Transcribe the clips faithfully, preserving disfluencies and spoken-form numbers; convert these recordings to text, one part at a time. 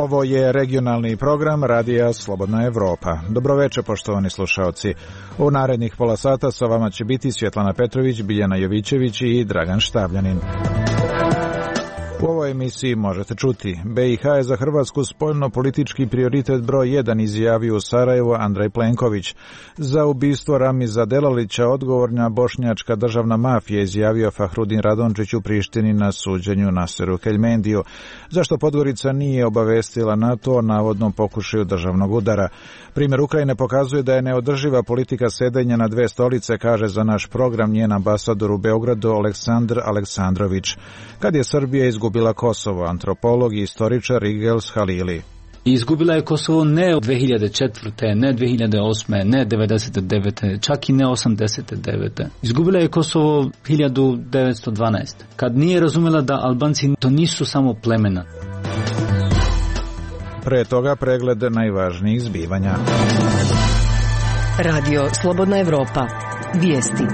Ovo je regionalni program Radija Slobodna Evropa. Dobroveče, poštovani slušaoci. U narednih pola sata sa vama će biti Svjetlana Petrović, Biljana Jovićević i Dragan Štabljanin. U ovoj emisiji možete čuti: B i H je za Hrvatsku spoljno-politički prioritet broj jedan, izjavio u Sarajevu Andrej Plenković. Za ubistvo Ramiza Delalića odgovorna bošnjačka državna mafija, izjavio Fahrudin Radončić u Prištini na suđenju Naseru Keljmendiju. Zašto Podgorica nije obavestila NATO o navodnom pokušaju državnog udara? Primjer Ukrajine pokazuje da je neodrživa politika sedenja na dve stolice, kaže za naš program njen ambasador u Beogradu Aleksandar Aleksandrović. Kad je Srbija izgubila Kosovo, antropolog i istoričar Igels Halili. Izgubila je Kosovo ne dve hiljade četvrte, ne dve hiljade osme, ne devedeset devete, čak i ne osamdeset devete. Izgubila je Kosovo hiljadu devetsto dvanaeste. Kad nije razumela da Albanci to nisu samo plemena. Pre toga pregled najvažnijih zbivanja. Radio Slobodna Evropa. Vijesti.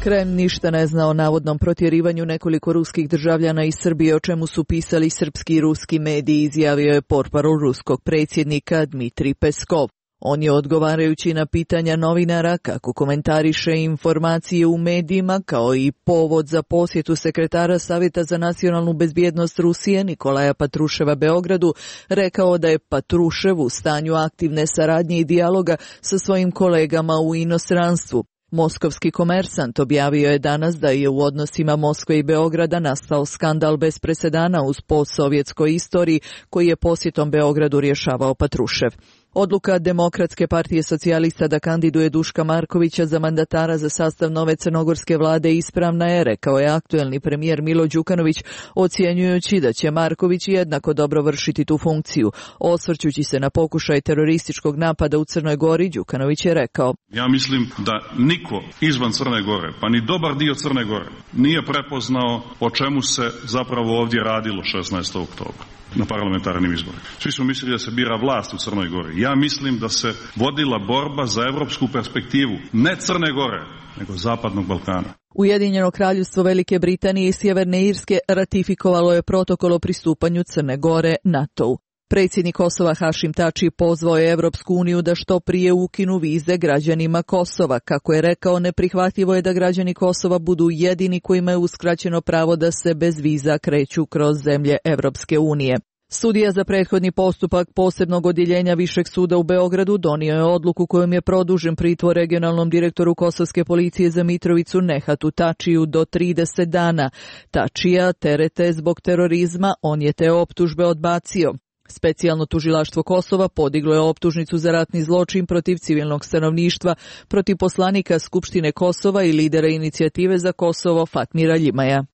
Kreml ništa ne zna o navodnom protjerivanju nekoliko ruskih državljana iz Srbije, o čemu su pisali srpski i ruski mediji, izjavio je portparol ruskog predsjednika Dmitrij Peskov. On je, odgovarajući na pitanja novinara kako komentariše informacije u medijima kao i povod za posjetu sekretara Savjeta za nacionalnu bezbjednost Rusije Nikolaja Patruševa Beogradu, rekao da je Patrušev u stanju aktivne saradnje i dijaloga sa svojim kolegama u inostranstvu. Moskovski komersant objavio je danas da je u odnosima Moskve i Beograda nastao skandal bez presedana uz postsovjetskoj istoriji koji je posjetom Beogradu rješavao Patrušev. Odluka Demokratske partije socijalista da kandiduje Duška Markovića za mandatara za sastav nove crnogorske vlade ispravna je, rekao je aktuelni premijer Milo Đukanović, ocjenjujući da će Marković jednako dobro vršiti tu funkciju. Osvrćući se na pokušaj terorističkog napada u Crnoj Gori, Đukanović je rekao: Ja mislim da niko izvan Crne Gore, pa ni dobar dio Crne Gore, nije prepoznao o čemu se zapravo ovdje radilo šesnaestog oktobra. Na parlamentarnim izborima. Svi smo mislili da se bira vlast u Crnoj Gori. Ja mislim da se vodila borba za evropsku perspektivu, ne Crne Gore, nego Zapadnog Balkana. Ujedinjeno kraljevstvo Velike Britanije i Sjeverne Irske ratifikovalo je protokol o pristupanju Crne Gore NATO-u. Predsjednik Kosova Hašim Tači pozvao je Evropsku uniju da što prije ukinu vize građanima Kosova. Kako je rekao, neprihvatljivo je da građani Kosova budu jedini kojima je uskraćeno pravo da se bez viza kreću kroz zemlje Evropske unije. Sudija za prethodni postupak posebnog odjeljenja Višeg suda u Beogradu donio je odluku kojom je produžen pritvor regionalnom direktoru kosovske policije za Mitrovicu Nehatu Tačiju do trideset dana. Tačija terete zbog terorizma, on je te optužbe odbacio. Specijalno tužilaštvo Kosova podiglo je optužnicu za ratni zločin protiv civilnog stanovništva, protiv poslanika Skupštine Kosova i lidera inicijative za Kosovo Fatmira Ljimaja.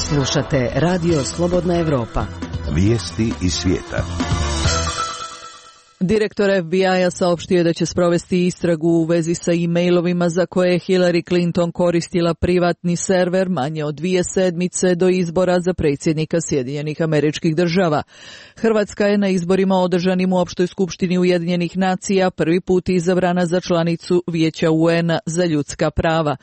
Slušate Radio Slobodna Evropa. Vijesti iz svijeta. Direktor F B I-a saopštio je da će sprovesti istragu u vezi sa e-mailovima za koje je Hillary Clinton koristila privatni server manje od dvije sedmice do izbora za predsjednika Sjedinjenih Američkih Država. Hrvatska je na izborima održanim u Opštoj skupštini Ujedinjenih nacija prvi put izabrana za članicu Vijeća U N-a za ljudska prava.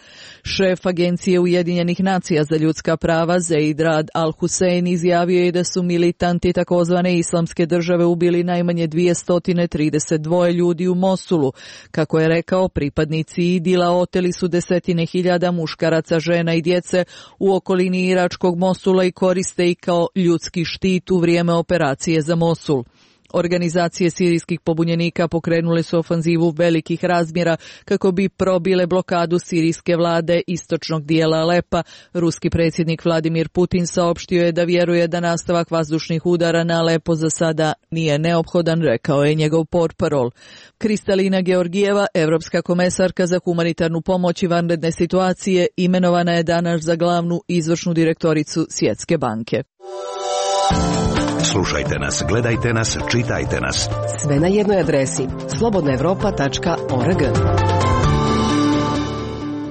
Šef Agencije Ujedinjenih nacija za ljudska prava Zeid Rad Al-Hussein izjavio je da su militanti takozvane islamske države ubili najmanje dvjesto trideset dva ljudi u Mosulu. Kako je rekao, pripadnici Idila oteli su desetine hiljada muškaraca, žena i djece u okolini iračkog Mosula i koriste ih kao ljudski štit u vrijeme operacije za Mosul. Organizacije sirijskih pobunjenika pokrenule su ofanzivu velikih razmjera kako bi probile blokadu sirijske vlade istočnog dijela Alepa. Ruski predsjednik Vladimir Putin saopštio je da vjeruje da nastavak vazdušnih udara na Alepo za sada nije neophodan, rekao je njegov portparol. Kristalina Georgijeva, evropska komesarka za humanitarnu pomoć i vanredne situacije, imenovana je danas za glavnu izvršnu direktoricu Svjetske banke. Slušajte nas, gledajte nas, čitajte nas. Sve na jednoj adresi slobodna evropa tačka org.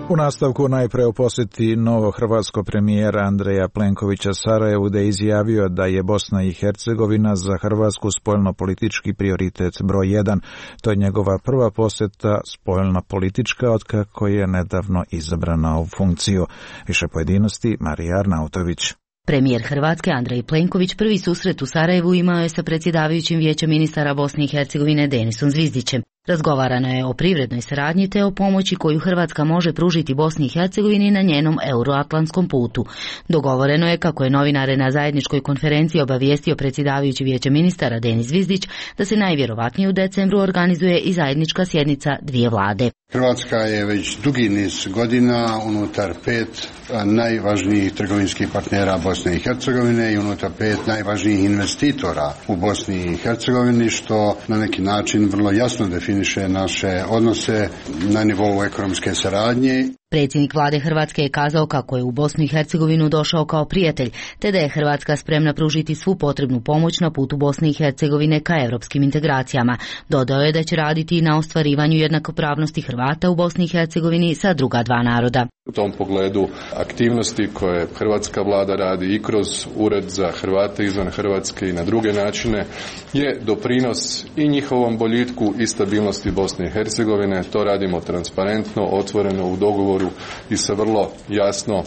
U nastavku najpre u posjeti novo hrvatsko premijera Andreja Plenkovića Sarajevu, da je izjavio da je Bosna i Hercegovina za Hrvatsku spoljno-politički prioritet broj jedan. To je njegova prva posjeta spoljno-politička otkako je nedavno izabrana u funkciju. Više pojedinosti Marija Arnautović. Premijer Hrvatske Andrej Plenković prvi susret u Sarajevu imao je sa predsjedavajućim Vijećem ministara Bosne i Hercegovine Denisom Zvizdićem. Razgovarano je o privrednoj saradnji te o pomoći koju Hrvatska može pružiti Bosni i Hercegovini na njenom euroatlantskom putu. Dogovoreno je, kako je novinare na zajedničkoj konferenciji obavijestio predsjedavajući Vijeća ministara Denis Zvizdić, da se najvjerovatnije u decembru organizuje i zajednička sjednica dvije vlade. Hrvatska je već dugi niz godina unutar pet najvažnijih trgovinskih partnera Bosne i Hercegovine i unutar pet najvažnijih investitora u Bosni i Hercegovini, što na neki način vrlo jasno definiše naše odnose na nivou ekonomske saradnje. Predsjednik vlade Hrvatske je kazao kako je u Bosnu i Hercegovinu došao kao prijatelj, te da je Hrvatska spremna pružiti svu potrebnu pomoć na putu Bosne i Hercegovine ka europskim integracijama. Dodao je da će raditi i na ostvarivanju jednakopravnosti Hrvata u Bosni i Hercegovini sa druga dva naroda. U tom pogledu aktivnosti koje hrvatska vlada radi i kroz Ured za Hrvate izvan Hrvatske i na druge načine je doprinos i njihovom boljitku i stabilnosti Bosne i Hercegovine. To radimo transparentno, otvoreno, u dogovoru i sa vrlo jasno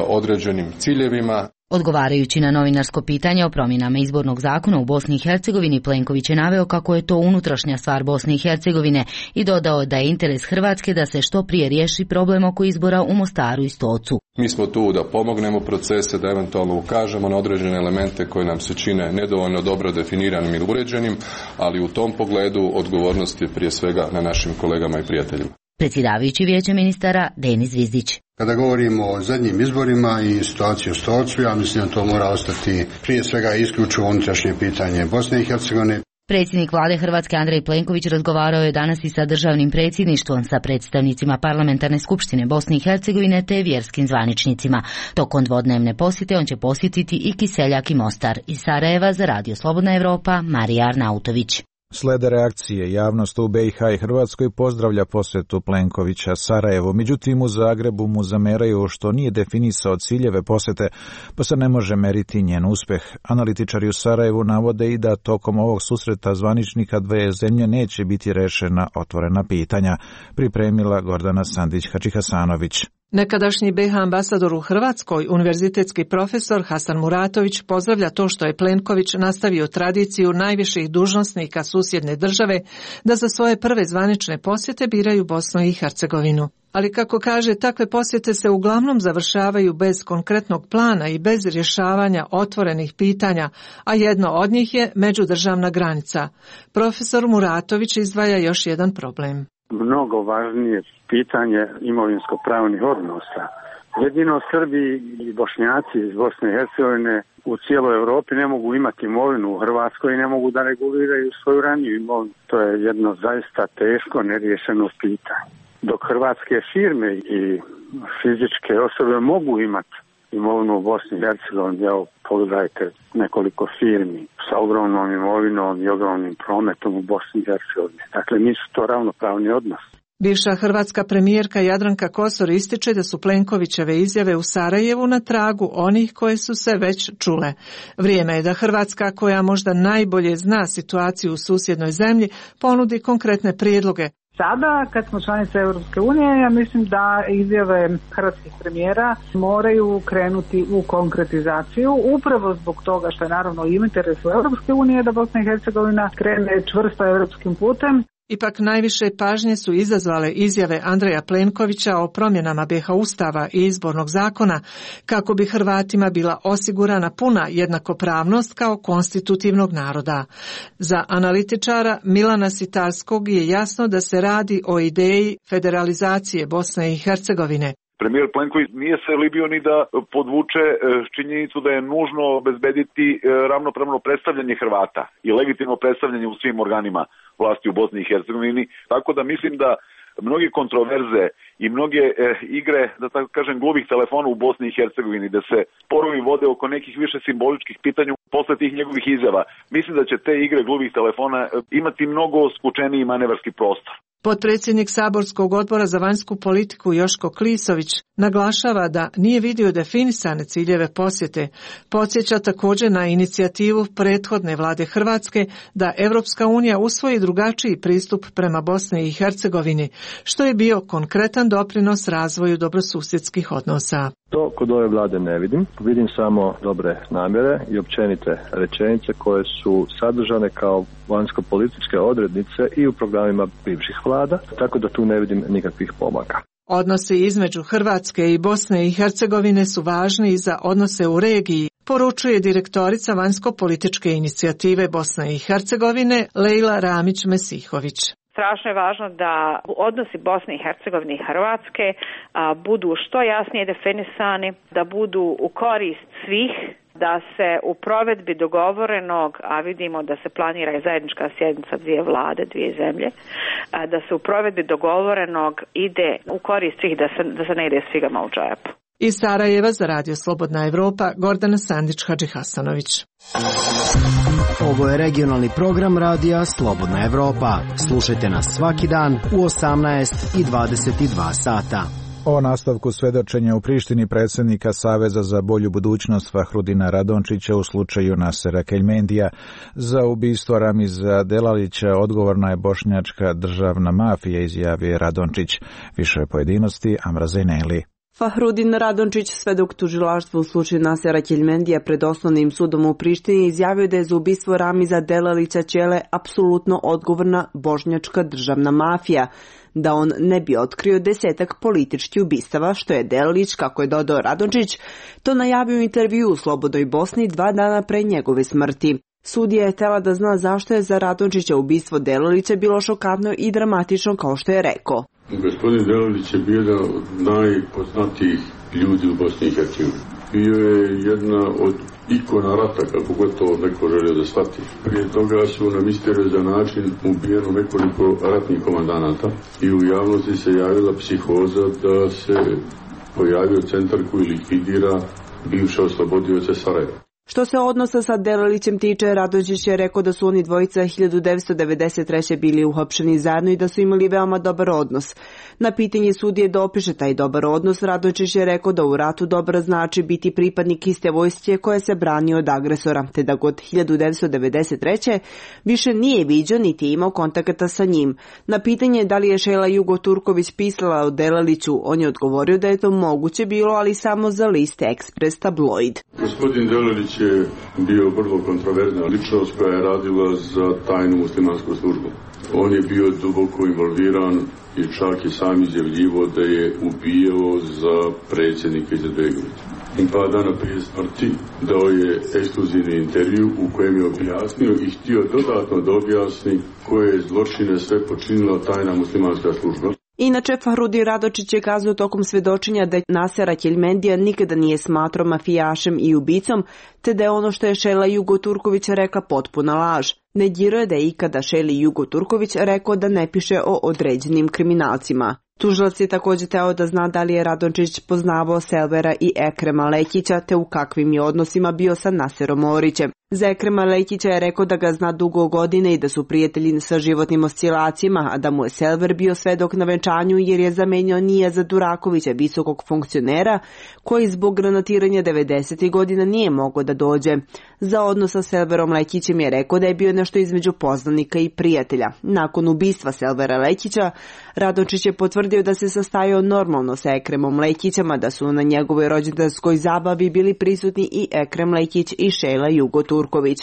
određenim ciljevima. Odgovarajući na novinarsko pitanje o promjenama izbornog zakona u Bosni i Hercegovini, Plenković je naveo kako je to unutrašnja stvar Bosne i Hercegovine i dodao da je interes Hrvatske da se što prije riješi problem oko izbora u Mostaru i Stocu. Mi smo tu da pomognemo procese, da eventualno ukažemo na određene elemente koje nam se čine nedovoljno dobro definiranim ili uređenim, ali u tom pogledu odgovornost je prije svega na našim kolegama i prijateljima. Predsjedavajući Vijeća ministara Denis Zvizdić. Kada govorimo o zadnjim izborima i situaciji u Stocu, ja mislim da to mora ostati prije svega isključivo unutrašnje pitanje Bosne i Hercegovine. Predsjednik vlade Hrvatske Andrej Plenković razgovarao je danas i sa državnim predsjedništvom, sa predstavnicima Parlamentarne skupštine Bosne i Hercegovine te vjerskim zvaničnicima. Tokom dvodnevne posjete on će posjetiti i Kiseljak i Mostar. Iz Sarajeva za Radio Slobodna Evropa, Marija Arnautović. Slede reakcije, javnost u B i H i Hrvatskoj pozdravlja posjetu Plenkovića Sarajevu, međutim u Zagrebu mu zameraju što nije definisao ciljeve posjete, pa se ne može meriti njen uspjeh. Analitičari u Sarajevu navode i da tokom ovog susreta zvaničnika dve zemlje neće biti rešena otvorena pitanja, pripremila Gordana Sandić-Hačihasanović. Nekadašnji B H ambasador u Hrvatskoj, univerzitetski profesor Hasan Muratović, pozdravlja to što je Plenković nastavio tradiciju najviših dužnosnika susjedne države da za svoje prve zvanične posjete biraju Bosnu i Hercegovinu. Ali kako kaže, takve posjete se uglavnom završavaju bez konkretnog plana i bez rješavanja otvorenih pitanja, a jedno od njih je međudržavna granica. Profesor Muratović izdvaja još jedan problem. Mnogo važnije pitanje imovinsko-pravnih odnosa. Jedino Srbi i Bošnjaci iz Bosne i Hercegovine u cijeloj Europi ne mogu imati imovinu u Hrvatskoj i ne mogu da reguliraju svoju raniju imovinu. To je jedno zaista teško neriješeno pitanje. Dok hrvatske firme i fizičke osobe mogu imati imovinu u Bosni i Hercegovini, evo pogledajte nekoliko firmi sa ogromnom imovinom i ogromnim prometom u Bosni i Hercegovini. Dakle, nisu to ravnopravni odnos. Bivša hrvatska premijerka Jadranka Kosor ističe da su Plenkovićeve izjave u Sarajevu na tragu onih koje su se već čule. Vrijeme je da Hrvatska, koja možda najbolje zna situaciju u susjednoj zemlji, ponudi konkretne prijedloge. Sada, kad smo članice Europske unije, ja mislim da izjave hrvatskih premijera moraju krenuti u konkretizaciju, upravo zbog toga što je naravno u interesu Europske unije da Bosna i Hercegovina krene čvrsto europskim putem. Ipak najviše pažnje su izazvale izjave Andreja Plenkovića o promjenama B H Ustava i izbornog zakona, kako bi Hrvatima bila osigurana puna jednakopravnost kao konstitutivnog naroda. Za analitičara Milana Sitarskog je jasno da se radi o ideji federalizacije Bosne i Hercegovine. Premijer Plenković nije se libio ni da podvuče činjenicu da je nužno obezbediti ravnopravno predstavljanje Hrvata i legitimno predstavljanje u svim organima vlasti u Bosni i Hercegovini, tako da mislim da mnoge kontroverze i mnoge e, igre, da tako kažem, gluvih telefona u Bosni i Hercegovini, da se sporovi vode oko nekih više simboličkih pitanja posle tih njegovih izjava. Mislim da će te igre gluvih telefona imati mnogo skučeniji manevarski prostor. Potpredsjednik Saborskog odbora za vanjsku politiku Joško Klisović naglašava da nije vidio definisane ciljeve posjete. Podsjeća također na inicijativu prethodne vlade Hrvatske da Europska unija usvoji drugačiji pristup prema Bosni i Hercegovini, što je bio konkretan pozitivan doprinos razvoju dobrosusjedskih odnosa. To kod ove vlade ne vidim. Vidim samo dobre namjere i općenite rečenice koje su sadržane kao vanjsko-političke odrednice i u programima bivših vlada, tako da tu ne vidim nikakvih pomaka. Odnosi između Hrvatske i Bosne i Hercegovine su važni i za odnose u regiji, poručuje direktorica vanjsko-političke inicijative Bosne i Hercegovine Lejla Ramić-Mesihović. Strašno je važno da odnosi Bosne i Hercegovine i Hrvatske a, budu što jasnije definisani, da budu u korist svih, da se u provedbi dogovorenog, a vidimo da se planira i zajednička sjednica dvije vlade, dvije zemlje, a, da se u provedbi dogovorenog ide u korist svih, da se, da se ne ide s figama u džepu. Iz Sarajeva za Radio Slobodna Evropa, Gordana Sandić-Hadžihasanović. Ovo je regionalni program Radija Slobodna Evropa. Slušajte nas svaki dan u osamnaest i dvadeset dva sata. O nastavku svedočenja u Prištini predsjednika Saveza za bolju budućnost Fahrudina Radončića u slučaju Nasera Keljmendija. Za ubistvo Ramiza Delalića odgovorna je bošnjačka državna mafija, izjavio Radončić. Više pojedinosti Amra Zejneli. Fahrudin Radončić, svedok tužilaštva u slučaju Nasera Keljmendija pred osnovnim sudom u Prištini, izjavio da je za ubistvo Ramiza Delalića Ćele apsolutno odgovorna bošnjačka državna mafija, da on ne bi otkrio desetak političkih ubistava, što je Delalić, kako je dodao Radončić, to najavio u intervju u Slobodnoj Bosni dva dana pre njegove smrti. Sudija je htjela da zna zašto je za Radončića ubistvo Delalića bilo šokantno i dramatično, kao što je rekao. Gospodin Delalić je bio jedan od najpoznatijih ljudi u Bosni i Hercegovini. Bio je jedna od ikona rata, kako gotovo neko želio da shvati. Prije toga su na misteriozan način ubijeno nekoliko ratnih komandanata i u javnosti se javila psihoza da se pojavio centar koji likvidira bivše oslobodioce Sarajeva. Što se odnosa sa Delalićem tiče, Radončić je rekao da su oni dvojica hiljadu devetsto devedeset treće bili uhapšeni zajedno i da su imali veoma dobar odnos. Na pitanje sudije da opiše taj dobar odnos, Radončić je rekao da u ratu dobro znači biti pripadnik iste vojske koja se brani od agresora, te da god hiljadu devetsto devedeset treće više nije viđao niti imao kontakata sa njim. Na pitanje da li je Šejla Jugo Turković pisala o Delaliću, on je odgovorio da je to moguće bilo, ali samo za list Ekspres tabloid. Gospodin Delalić je bio vrlo kontroverzna ličnost koja je radila za tajnu muslimansku službu. On je bio duboko involviran i čak i sam izjavljivo da je ubijao za predsjednika Izetbegovića. I pa dana prije smrti dao je ekskluzivni intervju u kojem je objasnio i htio dodatno da objasni koje zločine sve počinila tajna muslimanska služba. Inače, Fahrudin Radončić je kazao tokom svedočenja da Nasera Keljmendija nikada nije smatrao mafijašem i ubicom, te da je ono što je Šejla Jugo Turković rekla potpuna laž. Negirao je da je ikada Šejli Jugo Turković rekao da ne piše o određenim kriminalcima. Tužilac je također teo da zna da li je Radončić poznavao Selvera i Ekrema Lekića, te u kakvim je odnosima bio sa Naserom Orićem. Za Ekrema Lekića je rekao da ga zna dugo godine i da su prijatelji sa životnim oscilacijama, a da mu je Selver bio svedok na venčanju jer je zamenio Nijaza Durakovića, visokog funkcionera, koji zbog granatiranja devedesetih godina nije mogao da dođe. Za odnos sa Selverom Lekićem je rekao da je bio nešto između poznanika i prijatelja. Nakon ubistva Selvera Lekića, Radončić je potvrdio da se sastajao normalno sa Ekremom Lekićem, a da su na njegovoj rođendanskoj zabavi bili prisutni i Ekrem Lekić i Šejla Jugo Turković.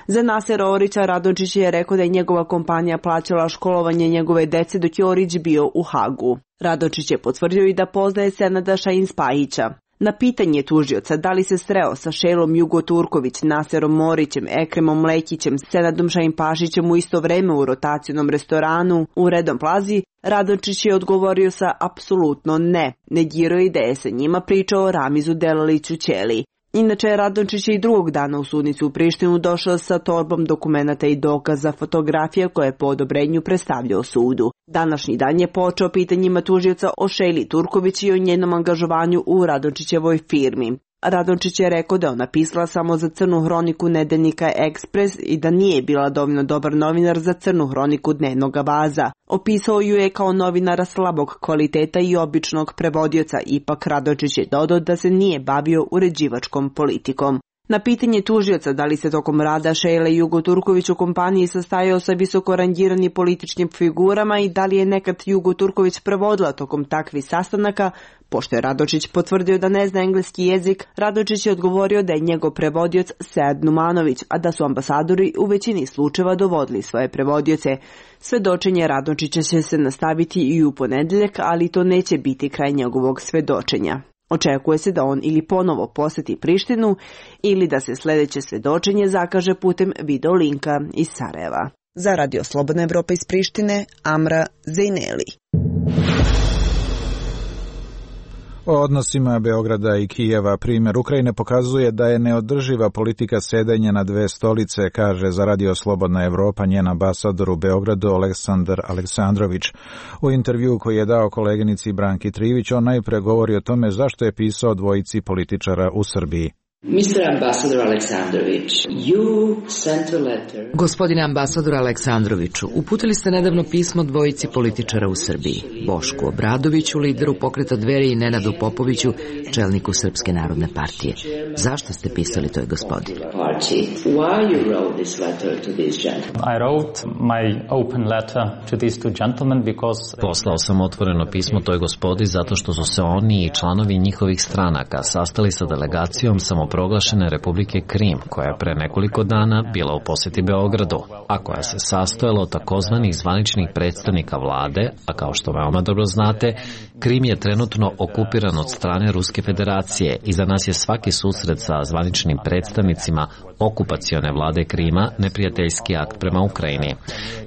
Za Nasera Orića Radončić je rekao da je njegova kompanija plaćala školovanje njegove dece dok je Orić bio u Hagu. Radončić je potvrdio i da poznaje Senada Šahin-Spahića. Na pitanje tužioca da li se sreo sa Šejlom Jugo Turković, Naserom Orićem, Ekremom Lekićem, Senadom Šahin-Pašićem u isto vreme u rotacionom restoranu u Redom Plazi, Radončić je odgovorio sa apsolutno ne. Negirao je da je sa njima pričao o Ramizu Delaliću Ćeli. Inače, Radončić je i drugog dana u sudnicu u Prištinu došao sa torbom dokumenata i dokaza fotografija koje je po odobrenju predstavljao sudu. Današnji dan je počeo pitanjima tužioca o Šejli Turković i o njenom angažovanju u Radončićevoj firmi. Radončić je rekao da je ona pisala samo za crnu hroniku nedeljnika Ekspres i da nije bila dovoljno dobar novinar za crnu hroniku dnevnog Vaza. Opisao ju je kao novinara slabog kvaliteta i običnog prevodioca, ipak Radončić je dodao da se nije bavio uređivačkom politikom. Na pitanje tužioca da li se tokom rada Šejle Jugo Turković u kompaniji sastajao sa visoko rangiranim političkim figurama i da li je nekad Jugo Turković prevodila tokom takvih sastanaka, pošto je Radočić potvrdio da ne zna engleski jezik, Radočić je odgovorio da je njegov prevodioc Sead Numanović, a da su ambasadori u većini slučajeva dovodili svoje prevodioce. Svedočenje Radočića će se nastaviti i u ponedeljak, ali to neće biti kraj njegovog svedočenja. Očekuje se da on ili ponovo poseti Prištinu ili da se sljedeće svedočenje zakaže putem video linka iz Sarajeva. Za Radio Slobodna Evropa iz Prištine, Amra Zejneli. O odnosima Beograda i Kijeva primjer Ukrajine pokazuje da je neodrživa politika sedenja na dve stolice, kaže za Radio Slobodna Evropa njen ambasador u Beogradu Aleksandar Aleksandrović. U intervjuu koji je dao koleginici Branki Trivić, on najpre govori o tome zašto je pisao dvojici političara u Srbiji. mister Ambassador Aleksandrović, you sent a letter. Gospodine ambasador Aleksandroviću, uputili ste nedavno pismo dvojici političara u Srbiji, Bošku Obradoviću, lideru pokreta Dveri, i Nenadu Popoviću, čelniku Srpske narodne partije. Zašto ste pisali toj gospodi? Why you wrote this letter to these gentlemen? I wrote my open letter to these two gentlemen because Poslao sam otvoreno pismo toj gospodi zato što su se oni i članovi njihovih stranaka sastali sa delegacijom samoproglašene Republike Krim, koja je pre nekoliko dana bila u posjeti Beogradu, a koja se sastojala od takozvanih zvaničnih predstavnika vlade, a kao što veoma dobro znate, Krim je trenutno okupiran od strane Ruske federacije i za nas je svaki susret sa zvaničnim predstavnicima okupacione vlade Krima neprijateljski akt prema Ukrajini.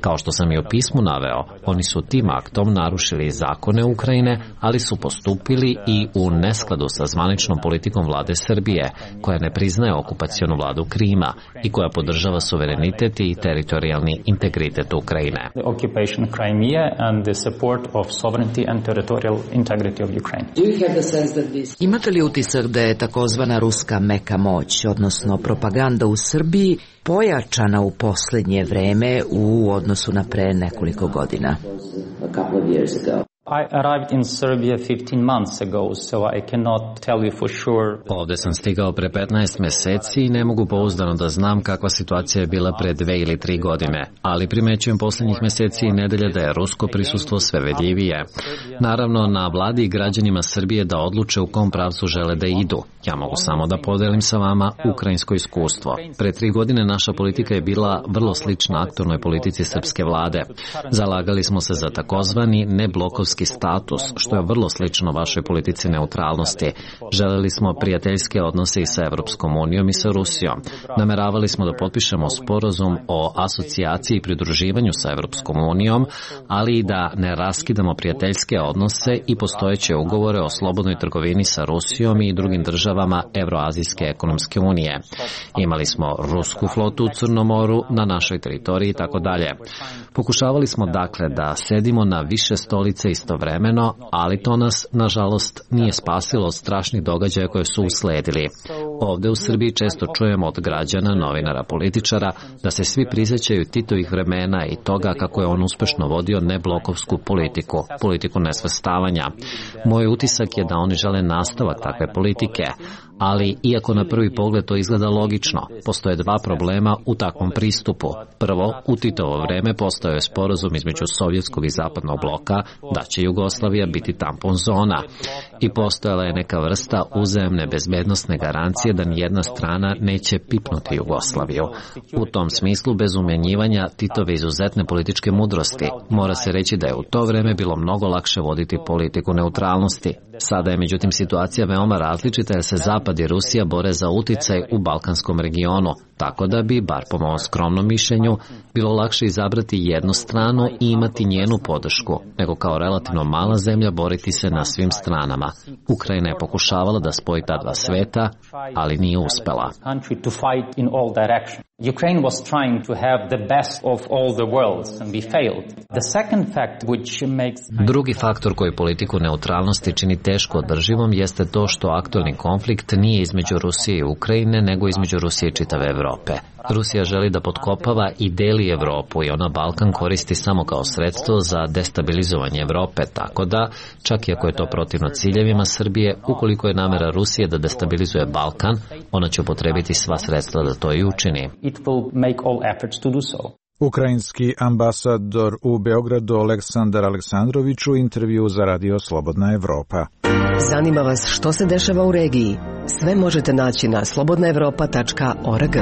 Kao što sam i u pismu naveo, oni su tim aktom narušili zakone Ukrajine, ali su postupili i u neskladu sa zvaničnom politikom vlade Srbije, koja ne priznaje okupacionu vladu Krima i koja podržava suverenitet i teritorijalni integritet Ukrajine. The occupation of Crimea and the support of sovereignty and territorial integrity of Ukraine. Do you have the sense that this... Imate li utisak da je takozvana ruska meka moć, odnosno propaganda u Srbiji, pojačana u posljednje vreme u odnosu na pre nekoliko godina? A couple of years ago. I arrived in Serbia fifteen months ago, so I cannot tell you for sure. Ovde sam stigao pre petnaest meseci i ne mogu pouzdano da znam kakva situacija je bila pre dve ili tri godine, ali primećujem posljednjih meseci i nedelja da je rusko prisustvo sve vedljivije. Naravno, na vladi i građanima Srbije da odluče u kom pravcu žele da idu. Ja mogu samo da podelim sa vama ukrajinsko iskustvo. Pre tri godine naša politika je bila vrlo slična aktualnoj politici srpske vlade. Zalagali smo se za takozvani neblokovski status, što je vrlo slično vašoj politici neutralnosti. Želeli smo prijateljske odnose i sa Evropskom unijom i sa Rusijom. Nameravali smo da potpišemo sporazum o asocijaciji i pridruživanju sa Evropskom unijom, ali i da ne raskidamo prijateljske odnose i postojeće ugovore o slobodnoj trgovini sa Rusijom i drugim državama Evroazijske ekonomske unije. Imali smo rusku flotu u Crnom moru, na našoj teritoriji i tako dalje. Pokušavali smo dakle da sedimo na više stolice istovremeno, ali to nas, nažalost, nije spasilo od strašnih događaja koje su usledili. Ovde u Srbiji često čujemo od građana, novinara, političara da se svi prisjećaju Titovih vremena i toga kako je on uspešno vodio neblokovsku politiku, politiku nesvrstavanja. Moj utisak je da oni žele nastavak takve politike, ali iako na prvi pogled to izgleda logično, postoje dva problema u takvom pristupu. Prvo, u Titovo vreme postojao je sporazum između sovjetskog i zapadnog bloka da će Jugoslavija biti tampon zona i postojala je neka vrsta uzajamne bezbednosne garancije da nijedna strana neće pipnuti Jugoslaviju. U tom smislu, bez umenjivanja Titove izuzetne političke mudrosti, mora se reći da je u to vreme bilo mnogo lakše voditi politiku neutralnosti. Sada je međutim situacija veoma različita jer se Zapad i Rusija bore za uticaj u balkanskom regionu, tako da bi, bar po mom skromnom mišljenju, bilo lakše izabrati jednu stranu i imati njenu podršku, nego kao relativno mala zemlja boriti se na svim stranama. Ukrajina je pokušavala da spoji ta dva sveta, ali nije uspela. Ukraine was trying to have the best of all the worlds and we failed. The second fact which makes... Drugi faktor koji politiku neutralnosti čini teško održivom jeste to što aktualni konflikt nije između Rusije i Ukrajine, nego između Rusije i čitave Evrope. Rusija želi da potkopava i deli Evropu i ona Balkan koristi samo kao sredstvo za destabilizovanje Evrope, tako da, čak i ako je to protivno ciljevima Srbije, ukoliko je namera Rusije da destabilizuje Balkan, ona će upotrebiti sva sredstva da to i učini. Ukrajinski ambasador u Beogradu Aleksandar Aleksandrović u intervju za Radio Slobodna Evropa. Zanima vas što se dešava u regiji? Sve možete naći na slobodna evropa tačka org.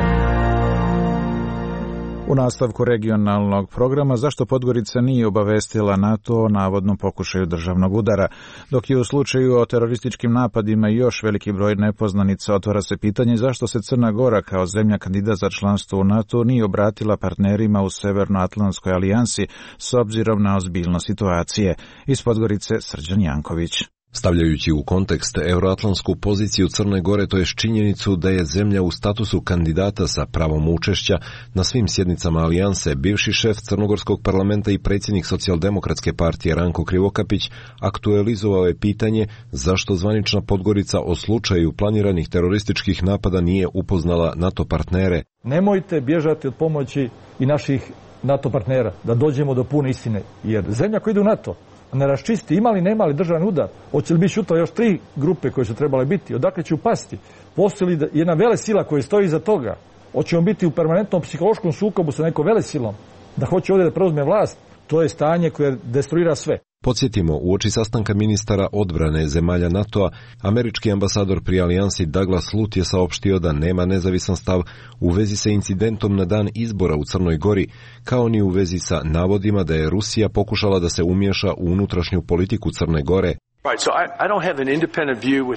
U nastavku regionalnog programa zašto Podgorica nije obavestila NATO o navodnom pokušaju državnog udara, dok je u slučaju o terorističkim napadima još veliki broj nepoznanica, otvara se pitanje zašto se Crna Gora kao zemlja kandidat za članstvo u NATO nije obratila partnerima u Severnoatlantskoj alijansi s obzirom na ozbiljnost situacije. Iz Podgorice Srđan Janković. Stavljajući u kontekst euroatlantsku poziciju Crne Gore, to je činjenicu da je zemlja u statusu kandidata sa pravom učešća na svim sjednicama alijanse, bivši šef crnogorskog parlamenta i predsjednik socijaldemokratske partije Ranko Krivokapić aktualizovao je pitanje zašto zvanična Podgorica o slučaju planiranih terorističkih napada nije upoznala NATO partnere. Nemojte bježati od pomoći i naših NATO partnera, da dođemo do pune istine, jer zemlja koja ide u NATO ne raščisti ima li, nema li državni udar, hoće li biti sutra još tri grupe koje su trebale biti, odakle će upasti, postoji li jedna vele sila koja stoji iza toga, hoćemo biti u permanentnom psihološkom sukobu sa nekom vele silom, da hoće ovdje da preuzme vlast, to je stanje koje destruira sve. Podsjetimo, uoči sastanka ministara odbrane zemalja NATO-a, američki ambasador pri alijansi Douglas Lut je saopštio da nema nezavisan stav u vezi sa incidentom na dan izbora u Crnoj Gori, kao ni u vezi sa navodima da je Rusija pokušala da se umiješa u unutrašnju politiku Crne Gore.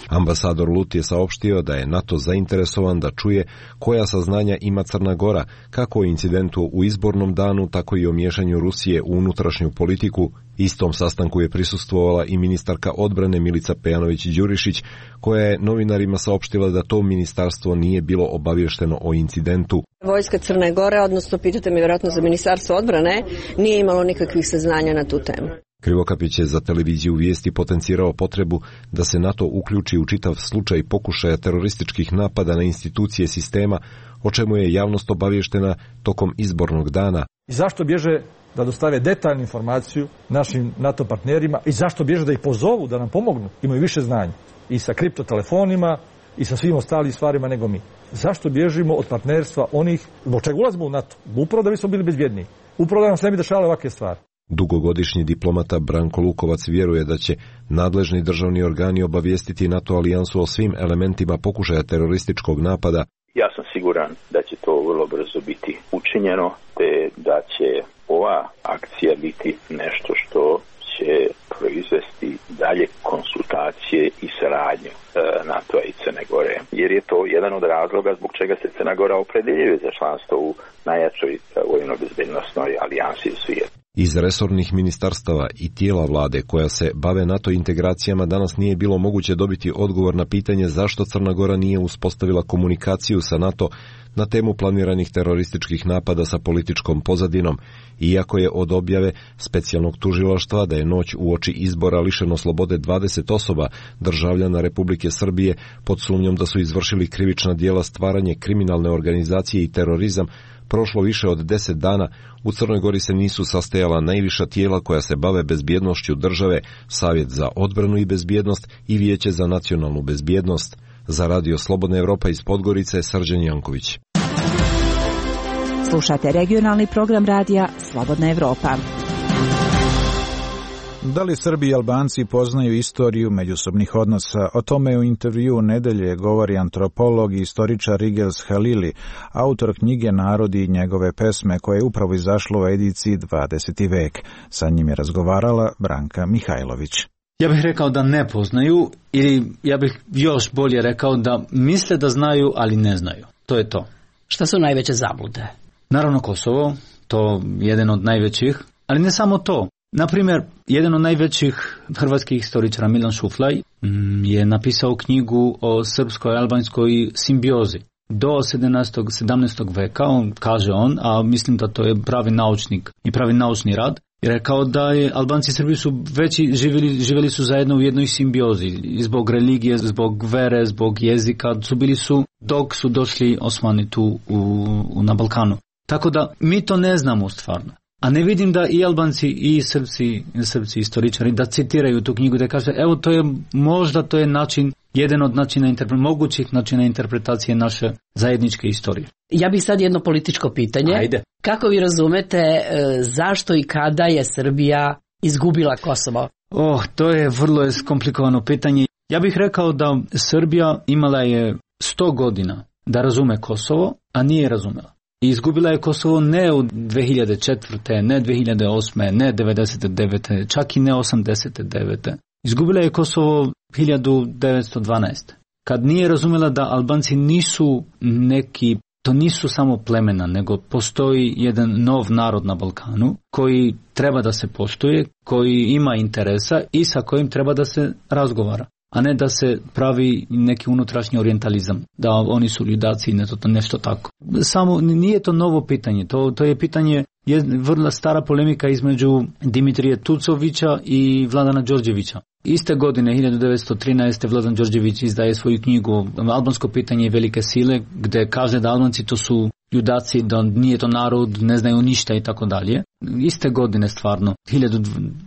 Ambasador Lut je saopštio da je NATO zainteresovan da čuje koja saznanja ima Crna Gora, kako o incidentu u izbornom danu, tako i o miješanju Rusije u unutrašnju politiku. Istom sastanku je prisustvovala i ministarka odbrane Milica Pejanović-Đurišić, koja je novinarima saopštila da to ministarstvo nije bilo obavješteno o incidentu. Vojska Crne Gore, odnosno pitate me vjerojatno za ministarstvo odbrane, nije imalo nikakvih saznanja na tu temu. Krivokapić je za televiziju Vijesti potencirao potrebu da se NATO uključi u čitav slučaj pokušaja terorističkih napada na institucije sistema, o čemu je javnost obavještena tokom izbornog dana. I zašto bježe da dostave detaljnu informaciju našim NATO partnerima i zašto bježe da ih pozovu da nam pomognu, imaju više znanja i sa kriptotelefonima i sa svim ostalim stvarima nego mi. Zašto bježimo od partnerstva onih, zbog čega ulazimo u NATO? Upravo da bismo bili bezbjedniji, upravo da nam se ne bi dešavale ovakve stvari. Dugogodišnji diplomata Branko Lukovac vjeruje da će nadležni državni organi obavijestiti NATO alijansu o svim elementima pokušaja terorističkog napada. Ja sam siguran da će to vrlo brzo biti učinjeno, te da će ova akcija biti nešto što će proizvesti dalje konsultacije i saradnju NATO-a i Crne Gore, jer je to jedan od razloga zbog čega se Crna Gora opredjeljuje za članstvo u najjačoj vojno-bezbednosnoj alijansi u svijetu. Iz resornih ministarstava i tijela vlade koja se bave NATO integracijama danas nije bilo moguće dobiti odgovor na pitanje zašto Crna Gora nije uspostavila komunikaciju sa NATO na temu planiranih terorističkih napada sa političkom pozadinom, iako je od objave specijalnog tužilaštva da je noć uoči izbora lišeno slobode dvadeset osoba državljana Republike Srbije pod sumnjom da su izvršili krivična djela stvaranje kriminalne organizacije i terorizam, prošlo više od deset dana, u Crnoj Gori se nisu sastajala najviša tijela koja se bave bezbjednošću države, Savjet za odbranu i bezbjednost i Vijeće za nacionalnu bezbjednost. Za Radio Slobodna Evropa iz Podgorice, Srđan Janković. Slušate regionalni program radija Slobodna Evropa. Da li Srbi i Albanci poznaju istoriju međusobnih odnosa? O tome u intervju nedelje govori antropolog i istoričar Rigels Halili, autor knjige Narodi i njegove pesme, koje je upravo izašlo u ediciji dvadeseti vek. Sa njim je razgovarala Branka Mihajlović. Ja bih rekao da ne poznaju, ili ja bih još bolje rekao da misle da znaju, ali ne znaju. To je to. Šta su najveće zablude? Naravno Kosovo, to je jedan od najvećih, ali ne samo to. Naprimjer, jedan od najvećih hrvatskih historičara, Milan Šuflaj, je napisao knjigu o srpsko-albanskoj simbiozi. Do sedamnaestog veka, on kaže on, a mislim da to je pravi naučnik i pravi naučni rad, I rekao da je Albanci i Srbi su veći, živjeli, živjeli su zajedno u jednoj simbiozi. I zbog religije, zbog vere, zbog jezika su bili su dok su došli Osmani tu u, u, na Balkanu. Tako da mi to ne znamo stvarno. A ne vidim da i Albanci i Srpci, Srpci istoričari da citiraju tu knjigu, da kaže evo to je, možda to je način, jedan od načina, mogućih načina interpretacije naše zajedničke istorije. Ja bih sad jedno političko pitanje. Ajde. Kako vi razumete e, zašto i kada je Srbija izgubila Kosovo? Oh, to je vrlo komplikovano pitanje. Ja bih rekao da Srbija imala je sto godina da razume Kosovo, a nije razumela. I izgubila je Kosovo ne u dve hiljade četvrte, ne dve hiljade osme, ne devedeset devete, čak i ne osamdeset devete. Izgubila je Kosovo hiljadu devetsto dvanaeste. Kad nije razumela da Albanci nisu neki, to nisu samo plemena, nego postoji jedan nov narod na Balkanu koji treba da se poštuje, koji ima interesa i sa kojim treba da se razgovara. A ne da se pravi neki unutrašnji orijentalizam, da oni su ljudaci i nešto tako. Samo nije to novo pitanje, to, to je pitanje, je vrlo stara polemika između Dimitrija Tucovića i Vladana Đorđevića. Iste godine, hiljadu devetsto trinaeste. Vladan Đorđević izdaje svoju knjigu Albansko pitanje i velike sile, gde kaže da Albanci to su ljudaci, da nije to narod, ne znaju ništa i tako dalje. Iste godine stvarno, hiljadu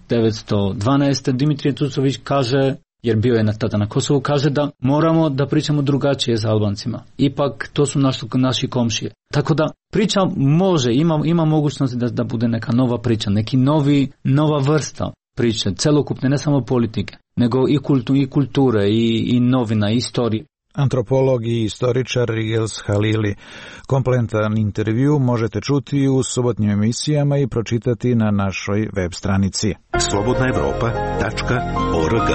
devetsto dvanaeste. Dimitrije Tucović kaže, jer bio je tada na Kosovu, kaže da moramo da pričamo drugačije sa Albancima. Ipak to su naši, naši komšije. Tako da priča može, ima, ima mogućnost da, da bude neka nova priča, neki novi, nova vrsta priče, celokupne, ne samo politike, nego i, kultu, i kulture, i, i novina, i istorije. Antropolog i istoričar Rigels Halili. Kompletan intervju možete čuti u subotnjim emisijama i pročitati na našoj web stranici slobodna evropa tačka org.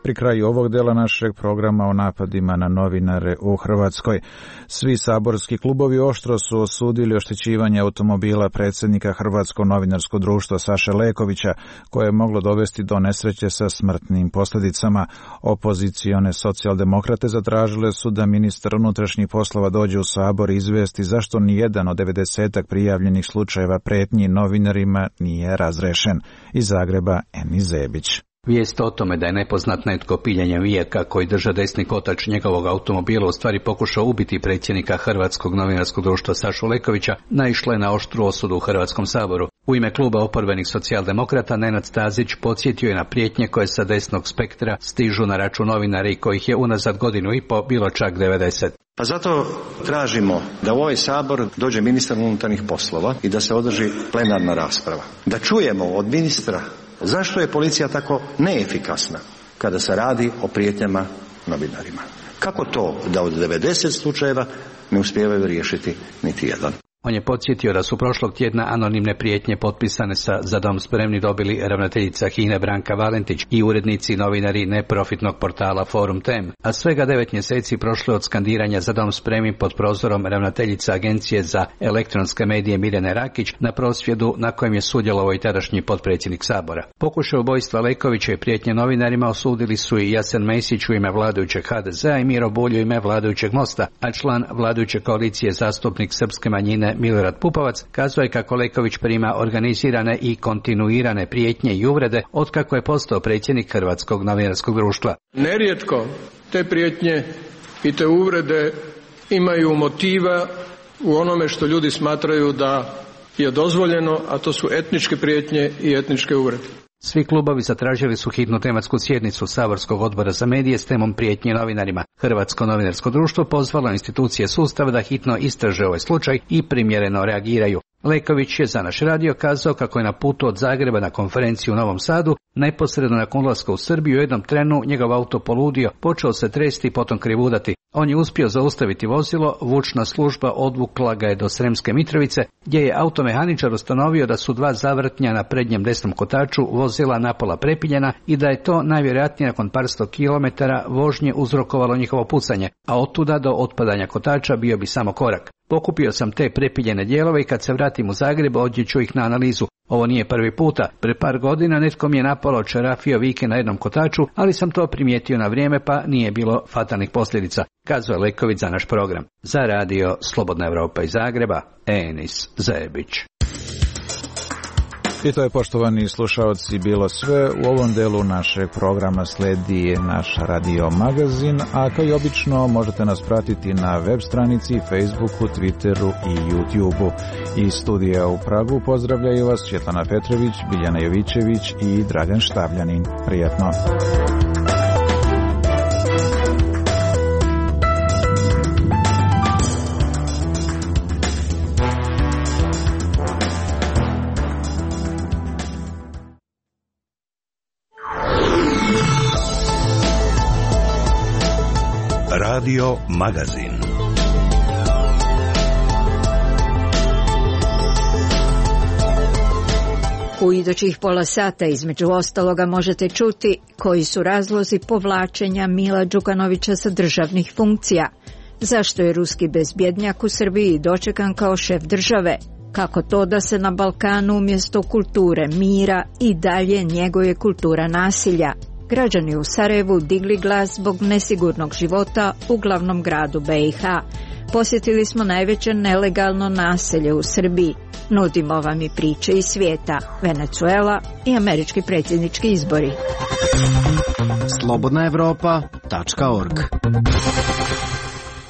Pri kraju ovog dela našeg programa o napadima na novinare u Hrvatskoj. Svi saborski klubovi oštro su osudili oštećivanje automobila predsjednika Hrvatskog novinarskog društva Saše Lekovića, koje je moglo dovesti do nesreće sa smrtnim posljedicama. Opozicione socijaldemokrate zatražile su da ministar unutrašnjih poslova dođe u Sabor i izvijesti zašto nijedan od devedesetak prijavljenih slučajeva pretnji novinarima nije razrešen. Iz Zagreba Eni Zebić. Vijest o tome da je nepoznat netko piljanjem vijeka koji drža desni kotač njegovog automobila u stvari pokušao ubiti predsjednika Hrvatskog novinarskog društva Sašu Lekovića naišla je na oštru osudu u Hrvatskom saboru. U ime kluba oporbenih socijaldemokrata Nenad Stazić podsjetio je na prijetnje koje sa desnog spektra stižu na račun novinara i kojih je unazad godinu i po bilo čak devedeset. Pa zato tražimo da u ovaj Sabor dođe ministar unutarnjih poslova i da se održi plenarna rasprava. Da čujemo od ministra zašto je policija tako neefikasna kada se radi o prijetnjama novinarima. Kako to da od devedeset slučajeva ne uspijevaju riješiti niti jedan? On je podsjetio da su prošlog tjedna anonimne prijetnje potpisane sa Za dom spremni dobili ravnateljica H I N E Branka Valentić i urednici novinari neprofitnog portala Forum Tem, a svega devet mjeseci prošlo od skandiranja Za dom spremni pod prozorom ravnateljica Agencije za elektronske medije Mirjane Rakić na prosvjedu na kojem je sudjelovao i tadašnji potpredsjednik Sabora. Pokušaj ubojstva Lekovića i prijetnje novinarima osudili su i Jasen Mesić u ime vladajućeg H D Z-a i Miro Bulj u ime vladajućeg Mosta, a član vladajuće koalicije zastupnik srpske manjine Milorad Pupovac kazao je kako Leković prima organizirane i kontinuirane prijetnje i uvrede otkako je postao predsjednik Hrvatskog novinarskog društva. Nerijetko te prijetnje i te uvrede imaju motiva u onome što ljudi smatraju da je dozvoljeno, a to su etničke prijetnje i etničke uvrede. Svi klubovi zatražili su hitnu tematsku sjednicu Saborskog odbora za medije s temom prijetnje novinarima. Hrvatsko novinarsko društvo pozvalo institucije sustava da hitno istraže ovaj slučaj i primjereno reagiraju. Leković je za naš radio kazao kako je na putu od Zagreba na konferenciju u Novom Sadu, neposredno nakon ulaska u Srbiju, u jednom trenu njegov auto poludio, počeo se tresti i potom krivudati. On je uspio zaustaviti vozilo, vučna služba odvukla ga je do Sremske Mitrovice, gdje je automehaničar ustanovio da su dva zavrtnja na prednjem desnom kotaču vozila napola prepiljena i da je to najvjerojatnije nakon par sto kilometara vožnje uzrokovalo njihovo pucanje, a otuda do otpadanja kotača bio bi samo korak. Pokupio sam te prepiljene dijelove i kad se vratim u Zagreb odjet ću ih na analizu. Ovo nije prvi puta. Pre par godina netko mi je napalo čerafio vike na jednom kotaču, ali sam to primijetio na vrijeme pa nije bilo fatalnih posljedica, kazao je Leković za naš program. Za radio Slobodna Evropa iz Zagreba, Enis Zebić. I to je, poštovani slušaoci, bilo sve. U ovom delu našeg programa sledi naš radio magazin, a kao i obično možete nas pratiti na web stranici, Facebooku, Twitteru i YouTubeu. Iz studija u Pragu pozdravljaju vas Svjetlana Petrović, Biljana Jovićević i Dragan Štabljanin. Prijatno! Radio magazin. U idućih pola sata između ostaloga možete čuti koji su razlozi povlačenja Mila Đukanovića sa državnih funkcija, zašto je ruski bezbjednjak u Srbiji dočekan kao šef države, kako to da se na Balkanu umjesto kulture mira i dalje njeguje kultura nasilja. Građani u Sarajevu digli glas zbog nesigurnog života u glavnom gradu B i H. Posjetili smo najveće nelegalno naselje u Srbiji. Nudimo vam i priče iz svijeta, Venezuela i američki predsjednički izbori. slobodna evropa tačka org.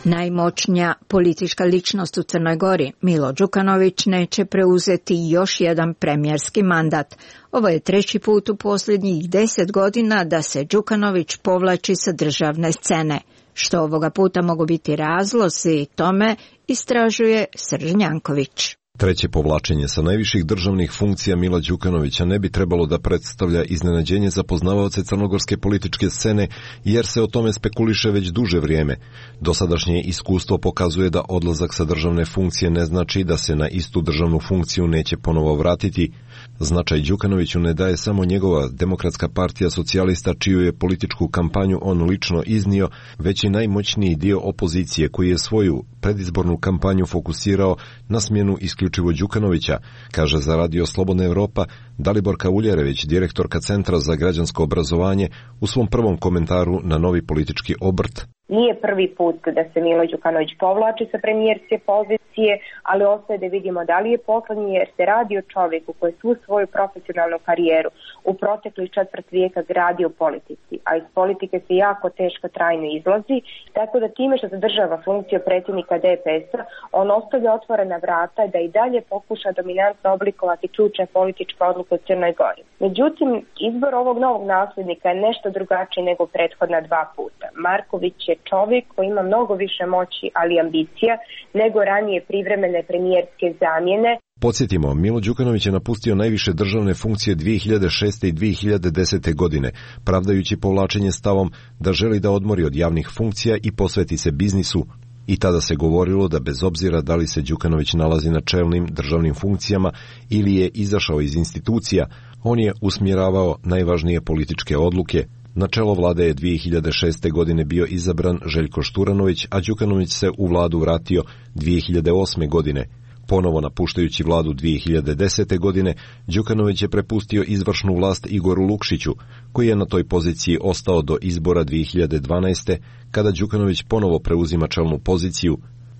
Najmoćnija politička ličnost u Crnoj Gori, Milo Đukanović, neće preuzeti još jedan premijerski mandat. Ovo je treći put u posljednjih deset godina da se Đukanović povlači sa državne scene. Što ovoga puta mogu biti razlozi tome, istražuje Srđan Janković. Treće povlačenje sa najviših državnih funkcija Mila Đukanovića ne bi trebalo da predstavlja iznenađenje za poznavaoce crnogorske političke scene, jer se o tome spekuliše već duže vrijeme. Dosadašnje iskustvo pokazuje da odlazak sa državne funkcije ne znači da se na istu državnu funkciju neće ponovo vratiti. Značaj Đukanoviću ne daje samo njegova Demokratska partija socijalista, čiju je političku kampanju on lično iznio, već i najmoćniji dio opozicije koji je svoju predizbornu kampanju fokusirao na smjenu isključivo Đukanovića, kaže za Radio Slobodna Evropa Daliborka Uljerević, direktorka Centra za građansko obrazovanje, u svom prvom komentaru na novi politički obrt. Nije prvi put da se Milo Đukanović povlači sa premijerske pozicije, ali ostaje da vidimo da li je poslednji, jer se radi o čovjeku koji je svu svoju profesionalnu karijeru u proteklih četvrt vijeka gradio u politici, a iz politike se jako teško trajno izlazi, tako da time što zadržava funkciju predsjednika D P S-a, on ostavlja otvorena vrata da i dalje pokuša dominantno oblikovati ključne političke odluke u Crnoj Gori. Međutim, izbor ovog novog nasljednika je nešto drugačiji nego prethodna dva puta. Marković je čovjek koji ima mnogo više moći, ali ambicija, nego ranije privremene premijerske zamjene. Podsjetimo, Milo Đukanović je napustio najviše državne funkcije dvije hiljade šeste. i dvije hiljade desete. godine, pravdajući povlačenje stavom da želi da odmori od javnih funkcija i posveti se biznisu. I tada se govorilo da bez obzira da li se Đukanović nalazi na čelnim državnim funkcijama ili je izašao iz institucija, on je usmjeravao najvažnije političke odluke. Na čelo vlade je dvije hiljade šeste. godine bio izabran Željko Šturanović, a Đukanović se u vladu vratio dvije hiljade osme. godine. Ponovo napuštajući vladu dvije hiljade desete. godine, Đukanović je prepustio izvršnu vlast Igoru Lukšiću, koji je na toj poziciji ostao do izbora dvije hiljade dvanaeste. kada Đukanović ponovo preuzima čelnu poziciju.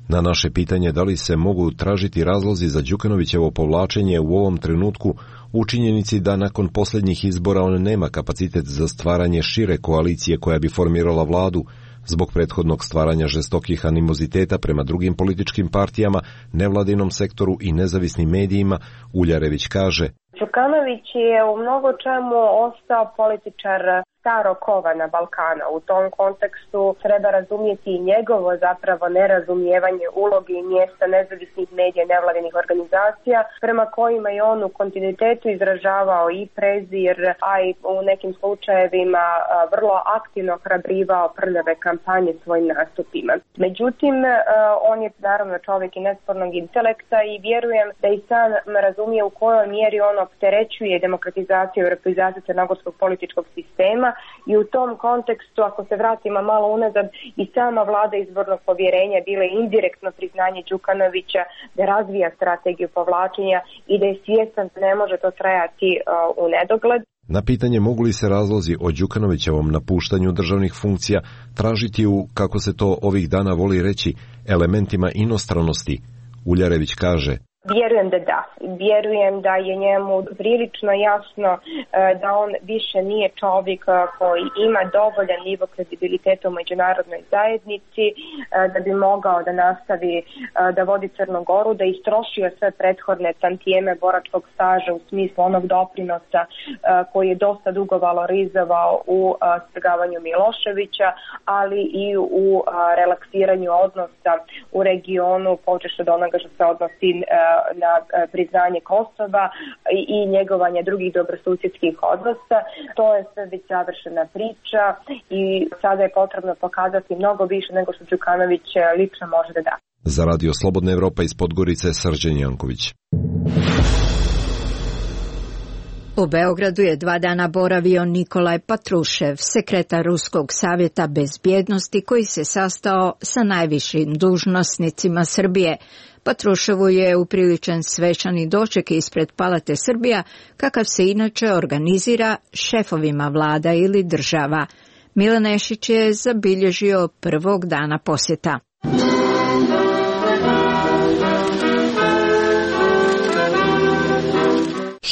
Na naše pitanje da li se mogu tražiti razlozi za Đukanovićevo povlačenje u ovom trenutku, u činjenici da nakon posljednjih izbora on nema kapacitet za stvaranje šire koalicije koja bi formirala vladu, zbog prethodnog stvaranja žestokih animoziteta prema drugim političkim partijama, nevladinom sektoru i nezavisnim medijima, Uljarević kaže: Đukanović je u mnogo čemu ostao političar starog kova na Balkana. U tom kontekstu treba razumjeti i njegovo zapravo nerazumijevanje uloge i mjesta nezavisnih medija i nevladinih organizacija, prema kojima je on u kontinuitetu izražavao i prezir, a i u nekim slučajevima vrlo aktivno hrabrivao prljave kampanje svojim nastupima. Međutim, on je naravno čovjek i nespornog intelekta i vjerujem da i sam razumije u kojoj mjeri on opterećuje demokratizaciju i europizaciju crnogorskog političkog sistema, i u tom kontekstu, ako se vratimo malo unazad, i sama vlada izbornog povjerenja bila je indirektno priznanje Đukanovića da razvija strategiju povlačenja i da je svjestan da ne može to trajati uh, u nedogled. Na pitanje mogu li se razlozi o Đukanovićevom napuštanju državnih funkcija tražiti u, kako se to ovih dana voli reći, elementima inostranosti, Uljarević kaže: Vjerujem da da. Vjerujem da je njemu prilično jasno da on više nije čovjek koji ima dovoljan nivo kredibiliteta u međunarodnoj zajednici da bi mogao da nastavi da vodi Crnu Goru, da je istrošio sve prethodne tantijeme boračkog staža u smislu onog doprinosa koji je dosta dugo valorizovao u strgavanju Miloševića, ali i u relaksiranju odnosa u regionu, počeš od onoga što se odnosi na priznanje Kosova i njegovanje drugih dobrosusjedskih odnosa. To je sve već završena priča i sada je potrebno pokazati mnogo više nego što Đukanović lično može da da. Za Radio Slobodna Evropa iz Podgorice, Srđan Janković. U Beogradu je dva dana boravio Nikolaj Patrušev, sekretar Ruskog savjeta bezbjednosti koji se sastao sa najvišim dužnosnicima Srbije. Patruševu je upriličen svečani doček ispred Palate Srbija, kakav se inače organizira šefovima vlada ili država. Milan Nešić je zabilježio prvog dana posjeta.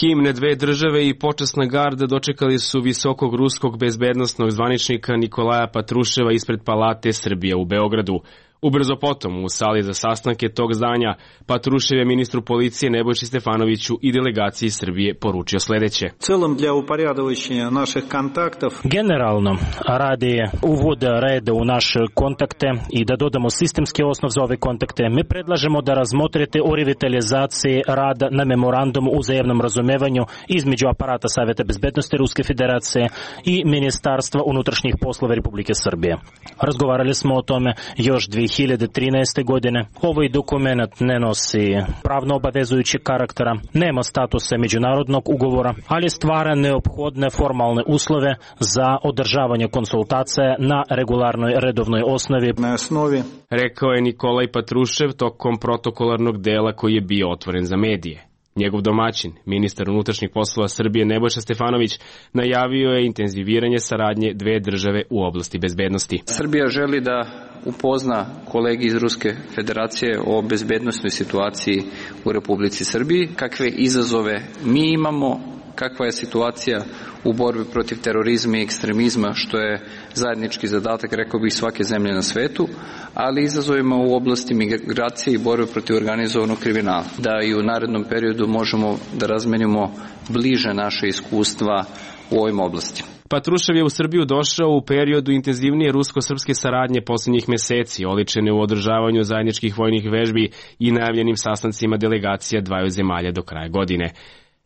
Himne dve države i počasna garda dočekali su visokog ruskog bezbednosnog zvaničnika Nikolaja Patruševa ispred Palate Srbija u Beogradu. Ubrzo potom, u sali za sastanke tog zdanja, Patrušev je ministru policije Nebojši Stefanoviću i delegaciji Srbije poručio sljedeće. Целом для упорядочения наших контактов. Generalno, radi uvoda reda u naše kontakte i da dodamo sistemski osnov za ove kontakte, mi predlažemo da razmotrite o revitalizaciji rada na memorandumu o uzajamnom razumevanju između aparata Savjeta bezbednosti Ruske federacije i Ministarstva unutrašnjih poslova Republike Srbije. Razgovarali smo o tome još dvije hiljade trinaeste. godine. Ovaj dokument ne nosi pravno obavezujući karaktera, nema statusa međunarodnog ugovora, ali stvara neophodne formalne uslove za održavanje konsultacija na regularnoj redovnoj osnovi. Na osnovi. Rekao je Nikolaj Patrušev tokom protokolarnog dela koji je bio otvoren za medije. Njegov domaćin, ministar unutrašnjih poslova Srbije Nebojša Stefanović, najavio je intenziviranje saradnje dve države u oblasti bezbednosti. Srbija želi da upozna kolegi iz Ruske federacije o bezbednosnoj situaciji u Republici Srbiji, kakve izazove mi imamo, kakva je situacija u borbi protiv terorizma i ekstremizma, što je zajednički zadatak, rekao bih, svake zemlje na svetu, ali izazovima u oblasti migracije i borbe protiv organizovanog kriminala. Da i u narednom periodu možemo da razmenimo bliže naše iskustva u ovim oblastima. Patrušev je u Srbiju došao u periodu intenzivnije rusko-srpske saradnje posljednjih meseci, oličene u održavanju zajedničkih vojnih vežbi i najavljenim sastancima delegacija dvaju zemalja do kraja godine.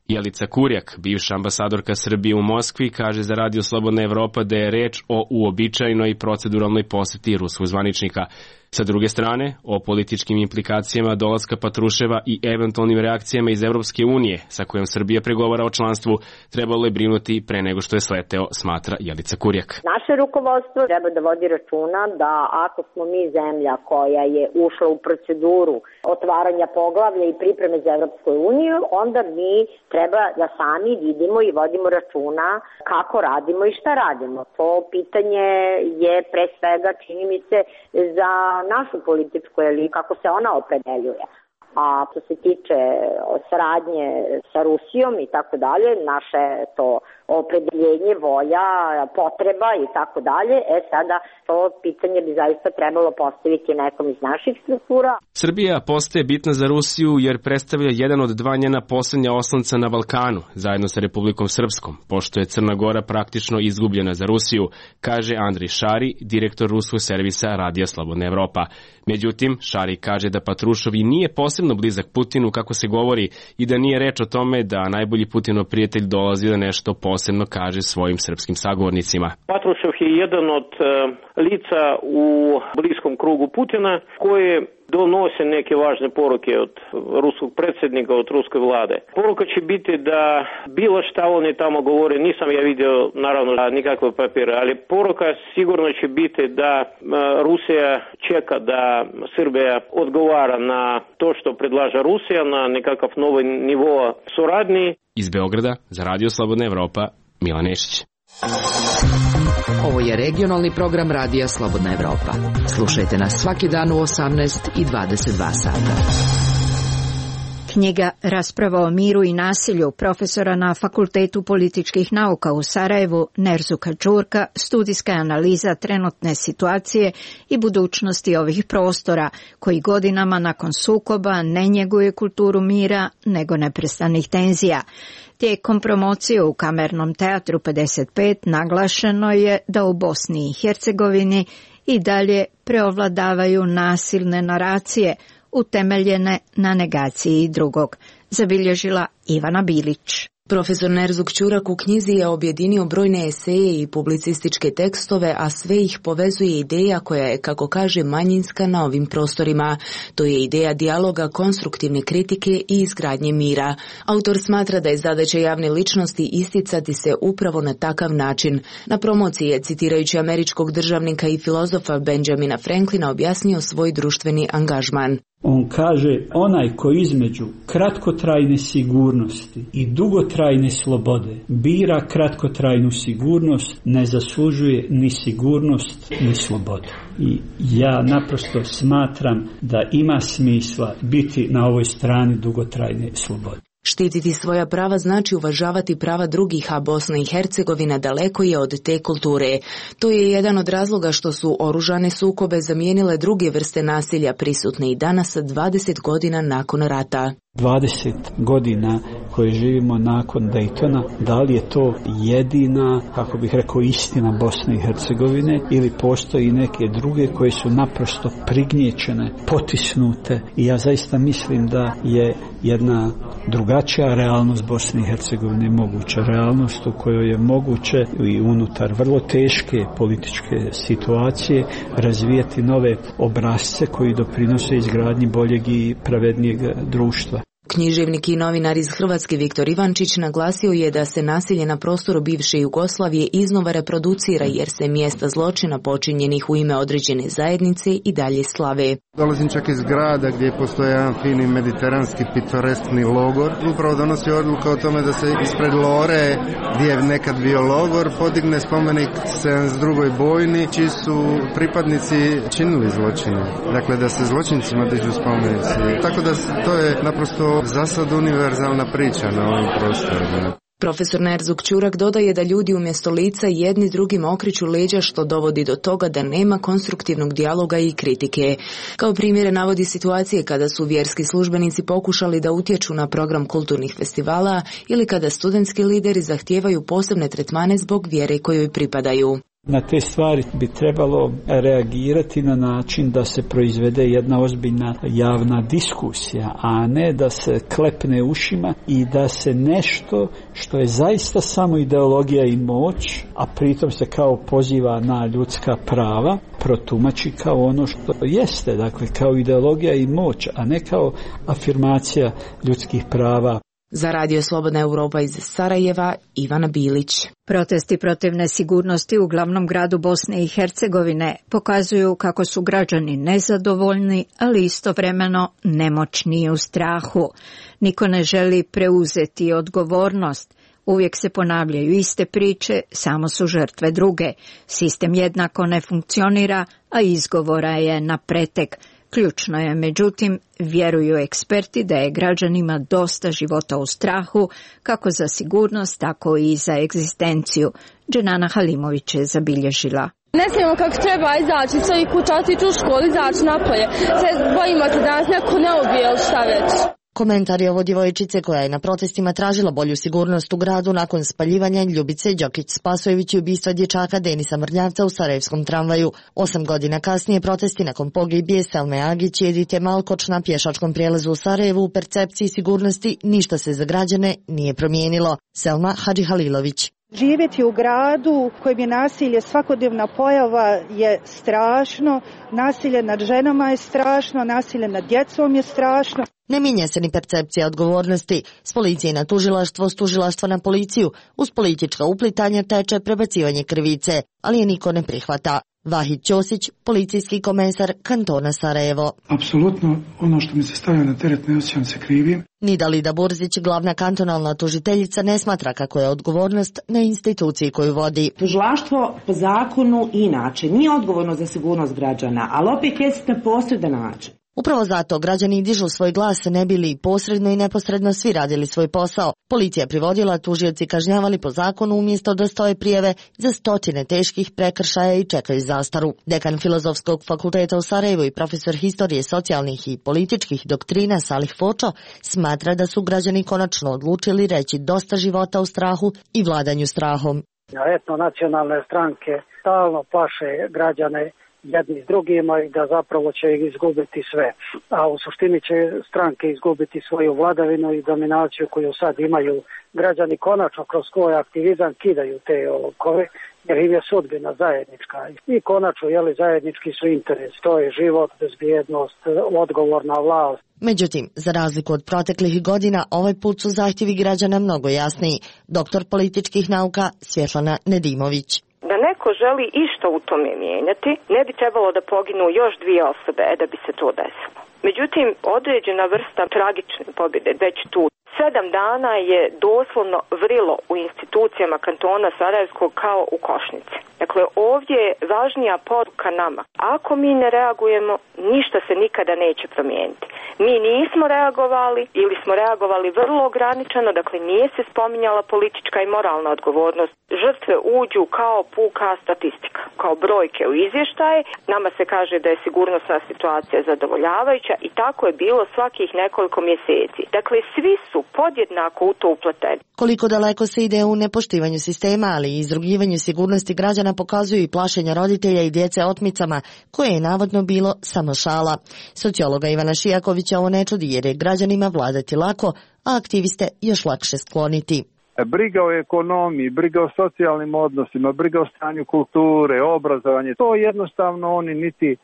Jelica Kurjak, bivša ambasadorka Srbije u Moskvi, kaže za Radio Slobodna Evropa da je reč o uobičajenoj proceduralnoj poseti ruskog zvaničnika. Sa druge strane, o političkim implikacijama dolaska Patruševa i eventualnim reakcijama iz Evropske unije, sa kojom Srbija pregovara o članstvu, trebalo je brinuti pre nego što je sleteo, smatra Jelica Kurjak. Naše rukovodstvo treba da vodi računa da ako smo mi zemlja koja je ušla u proceduru otvaranja poglavlja i pripreme za Evropsku uniju, onda mi treba da sami vidimo i vodimo računa kako radimo i šta radimo. To pitanje je pre svega, čini mi se, za našu političku elitu, kako se ona opredeljuje. A što se tiče saradnje sa Rusijom i tako dalje, naše to opredeljenje, volja, potreba i tako dalje, e sada to pitanje bi zaista trebalo postaviti nekom iz naših struktura. Srbija postaje bitna za Rusiju jer predstavlja jedan od dva njena posljednja oslonca na Balkanu, zajedno sa Republikom Srpskom, pošto je Crna Gora praktično izgubljena za Rusiju, kaže Andrej Šari, direktor ruskog servisa Radija Slobodna Evropa. Međutim, Šari kaže da Patrušov i nije posebno blizak Putinu, kako se govori, i da nije reč o tome da najbolji Putinov prijatelj dolazi da nešto posebno kaže svojim srpskim sagovornicima. Patrušev je jedan od uh, lica u bliskom krugu Putina koji donose neke važne poruke od ruskog predsjednika, od ruske vlade. Poruka će biti da bilo šta oni tamo govore, nisam ja vidio naravno nikakve papire, ali poruka sigurno će biti da Rusija čeka da Srbija odgovara na to što predlaže Rusija, na nekakav novi nivo suradnji. Iz Beograda za Radio Slobodna Evropa, Milan Nešić. Ovo je regionalni program Radija Slobodna Evropa. Slušajte nas svaki dan u osamnaest i dvadeset dva sata. Knjiga Rasprava o miru i nasilju profesora na Fakultetu političkih nauka u Sarajevu Nerzuka Đurka studijska je analiza trenutne situacije i budućnosti ovih prostora koji godinama nakon sukoba ne njeguje kulturu mira nego neprestanih tenzija. Tijekom promocije u Kamernom teatru pedeset pet naglašeno je da u Bosni i Hercegovini i dalje preovladavaju nasilne naracije utemeljene na negaciji drugog, zabilježila Ivana Bilić. Profesor Nerzuk Ćurak u knjizi je objedinio brojne eseje i publicističke tekstove, a sve ih povezuje ideja koja je, kako kaže, manjinska na ovim prostorima. To je ideja dijaloga, konstruktivne kritike i izgradnje mira. Autor smatra da je zadaća javne ličnosti isticati se upravo na takav način. Na promociji je, citirajući američkog državnika i filozofa Benjamina Franklina, objasnio svoj društveni angažman. On kaže, onaj ko između kratkotrajne sigurnosti i dugotrajne slobode bira kratkotrajnu sigurnost, ne zaslužuje ni sigurnost ni slobodu. I ja naprosto smatram da ima smisla biti na ovoj strani dugotrajne slobode. Štititi svoja prava znači uvažavati prava drugih, a Bosna i Hercegovina daleko je od te kulture. To je jedan od razloga što su oružane sukobe zamijenile druge vrste nasilja prisutne i danas dvadeset godina nakon rata. dvadeset godina koje živimo nakon Daytona, da li je to jedina, kako bih rekao, istina Bosne i Hercegovine ili postoji neke druge koje su naprosto prignječene, potisnute, i ja zaista mislim da je jedna drugačija realnost Bosne i Hercegovine moguća, realnost u kojoj je moguće i unutar vrlo teške političke situacije razvijati nove obrasce koji doprinose izgradnji boljeg i pravednijeg društva. Književnik i novinar iz Hrvatske Viktor Ivančić naglasio je da se nasilje na prostoru bivše Jugoslavije iznova reproducira jer se mjesta zločina počinjenih u ime određene zajednice i dalje slave. Dolazim čak iz grada gdje postoji jedan fini mediteranski pitoreskni logor. Upravo donosi odluka o tome da se ispred Lore, gdje je nekad bio logor, podigne spomenik sedamdeset drugoj bojni, čiji su pripadnici činili zločine. Dakle, da se zločincima dižu spomenici. Tako da to je naprosto za sad univerzalna priča na ovim prostorima. Profesor Nerzuk Ćurak dodaje da ljudi umjesto lica jedni drugim okreću leđa, što dovodi do toga da nema konstruktivnog dijaloga i kritike. Kao primjere navodi situacije kada su vjerski službenici pokušali da utječu na program kulturnih festivala ili kada studentski lideri zahtijevaju posebne tretmane zbog vjere kojoj pripadaju. Na te stvari bi trebalo reagirati na način da se proizvede jedna ozbiljna javna diskusija, a ne da se klepne ušima i da se nešto što je zaista samo ideologija i moć, a pritom se kao poziva na ljudska prava, protumači kao ono što jeste, dakle kao ideologija i moć, a ne kao afirmacija ljudskih prava. Za Radio Slobodna Europa iz Sarajeva, Ivana Bilić. Protesti protiv nesigurnosti u glavnom gradu Bosne i Hercegovine pokazuju kako su građani nezadovoljni, ali istovremeno nemoćni i u strahu. Niko ne želi preuzeti odgovornost. Uvijek se ponavljaju iste priče, samo su žrtve druge. Sistem jednako ne funkcionira, a izgovora je na pretek. Ključno je, međutim, vjeruju eksperti da je građanima dosta života u strahu, kako za sigurnost, tako i za egzistenciju. Dženana Halimović je zabilježila. Ne smijemo kako treba izaći iz svojih kuća, otići u školu, izaći napolje. Se bojimo se da nas neko ne ubije ili šta već. Komentar je ovo djevojčice koja je na protestima tražila bolju sigurnost u gradu nakon spaljivanja Ljubice Đokić-Spasojević i ubistva dječaka Denisa Mrnjavca u sarajevskom tramvaju. Osam godina kasnije protesti nakon pogibije Selme Agić i Edite Malkoč na pješačkom prijelazu u Sarajevu u percepciji sigurnosti ništa se za građane nije promijenilo. Selma Hadžihalilović. Živjeti u gradu u kojem je nasilje svakodnevna pojava je strašno, nasilje nad ženama je strašno, nasilje nad djecom je strašno. Ne mijenja se ni percepcija odgovornosti. S policije na tužilaštvo, s tužilaštva na policiju, uz politička uplitanja teče prebacivanje krivice, ali je niko ne prihvata. Vahid Ćosić, policijski komesar kantona Sarajevo. Apsolutno, ono što mi se stavlja na teret ne osjećam se krivim. Nidalida Burzić, glavna kantonalna tužiteljica, ne smatra kako je odgovornost na instituciji koju vodi. Tužilaštvo po zakonu inače nije odgovorno za sigurnost građana, ali opet jest na posredan način. Upravo zato građani dižu svoj glas ne bi li posredno i neposredno svi radili svoj posao. Policija privodila, tužioci kažnjavali po zakonu umjesto da stoje prijave za stotine teških prekršaja i čekaju zastaru. Dekan Filozofskog fakulteta u Sarajevu i profesor historije socijalnih i političkih doktrina Salih Fočo smatra da su građani konačno odlučili reći dosta života u strahu i vladanju strahom. Etnonacionalne stranke stalno plaše građane jedni s drugima i da zapravo će ih izgubiti sve. A u suštini će stranke izgubiti svoju vladavinu i dominaciju koju sad imaju. Građani konačno kroz svoj aktivizam kidaju te okove jer im je sudbina zajednička. I konačno, jeli, zajednički su interes. To je život, bezbjednost, odgovorna vlast. Međutim, za razliku od proteklih godina, ovaj put su zahtjevi građana mnogo jasniji. Doktor političkih nauka Svjetlana Nedimović. Da neko želi išta u tome mijenjati, ne bi trebalo da poginu još dvije osobe da bi se to desilo. Međutim, određena vrsta tragične pobjede već tu. Sedam dana je doslovno vrilo u institucijama kantona Sarajevskog kao u košnici. Dakle, ovdje je važnija poruka nama. Ako mi ne reagujemo, ništa se nikada neće promijeniti. Mi nismo reagovali ili smo reagovali vrlo ograničeno, dakle nije se spominjala politička i moralna odgovornost. Žrtve uđu kao puka statistika, kao brojke u izvještaje. Nama se kaže da je sigurnosna situacija zadovoljavajuća i tako je bilo svakih nekoliko mjeseci. Dakle, svi su podjednako u to upleteni. Koliko daleko se ide u nepoštivanju sistema, ali i izrugivanju sigurnosti građana pokazuju i plašenja roditelja i djece otmicama, koje je navodno bilo samo šala. Sociologa Ivana Šijakovića ovo ne čudi jer je građanima vladati lako, a aktiviste još lakše skloniti. Briga o ekonomiji, briga o socijalnim odnosima, briga o stanju kulture, obrazovanje, to jednostavno oni niti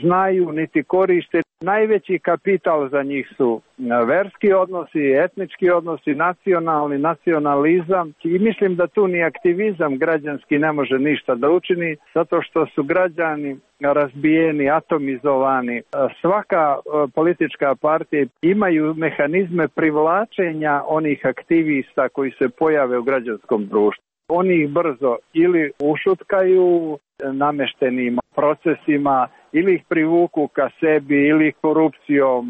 znaju, niti koriste. Najveći kapital za njih su verski odnosi, etnički odnosi, nacionalni, nacionalizam i mislim da tu ni aktivizam građanski ne može ništa da učini zato što su građani razbijeni, atomizovani. Svaka politička partija imaju mehanizme privlačenja onih aktivista koji se pojave u građanskom društvu. Oni ih brzo ili ušutkaju nameštenim procesima, ili ih privuku ka sebi, ili ih korupcijom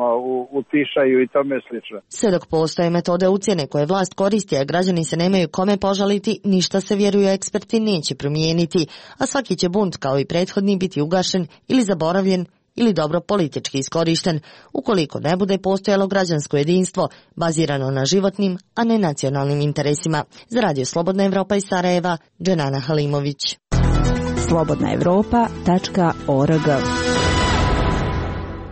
utišaju i tome slično. Sve dok postoje metode ucjene koje vlast koristi, a građani se nemaju kome požaliti, ništa se, vjeruju eksperti, neće promijeniti, a svaki će bunt kao i prethodni biti ugašen ili zaboravljen ili dobro politički iskorišten, ukoliko ne bude postojalo građansko jedinstvo bazirano na životnim, a ne nacionalnim interesima. Za Radio Slobodna Evropa iz Sarajeva, Dženana Halimović. slobodna evropa tačka org.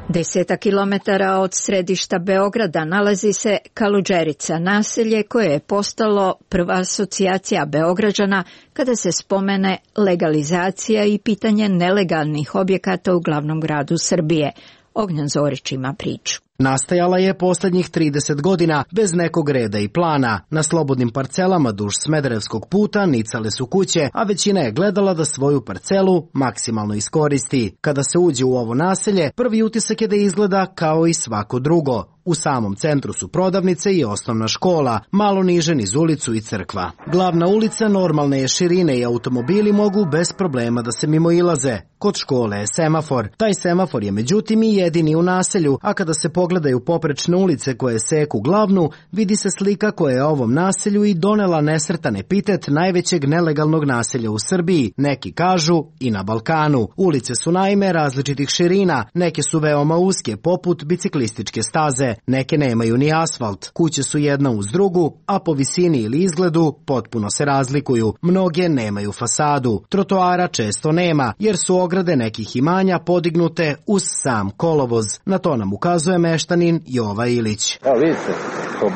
Deseta kilometara od središta Beograda nalazi se Kaluđerica, naselje koje je postalo prva asocijacija Beograđana kada se spomene legalizacija i pitanje nelegalnih objekata u glavnom gradu Srbije. Ognjan Zorić ima priču. Nastajala je posljednjih trideset godina bez nekog reda i plana. Na slobodnim parcelama duž Smederevskog puta nicale su kuće, a većina je gledala da svoju parcelu maksimalno iskoristi. Kada se uđe u ovo naselje, prvi utisak je da izgleda kao i svako drugo. U samom centru su prodavnice i osnovna škola, malo niže niz ulicu i crkva. Glavna ulica normalne je širine i automobili mogu bez problema da se mimoilaze. Kod škole je semafor. Taj semafor je međutim i jedini u naselju, a kada se pogledaju poprečne ulice koje seku glavnu, vidi se slika koja je ovom naselju i donela nesretan epitet najvećeg nelegalnog naselja u Srbiji, neki kažu i na Balkanu. Ulice su naime različitih širina, neke su veoma uske poput biciklističke staze, neke nemaju ni asfalt, kuće su jedna uz drugu, a po visini ili izgledu potpuno se razlikuju. Mnoge nemaju fasadu, trotoara često nema, jer su ograde nekih imanja podignute uz sam kolovoz. Na to nam ukazuje meštanin Jova Ilić. Evo vidite,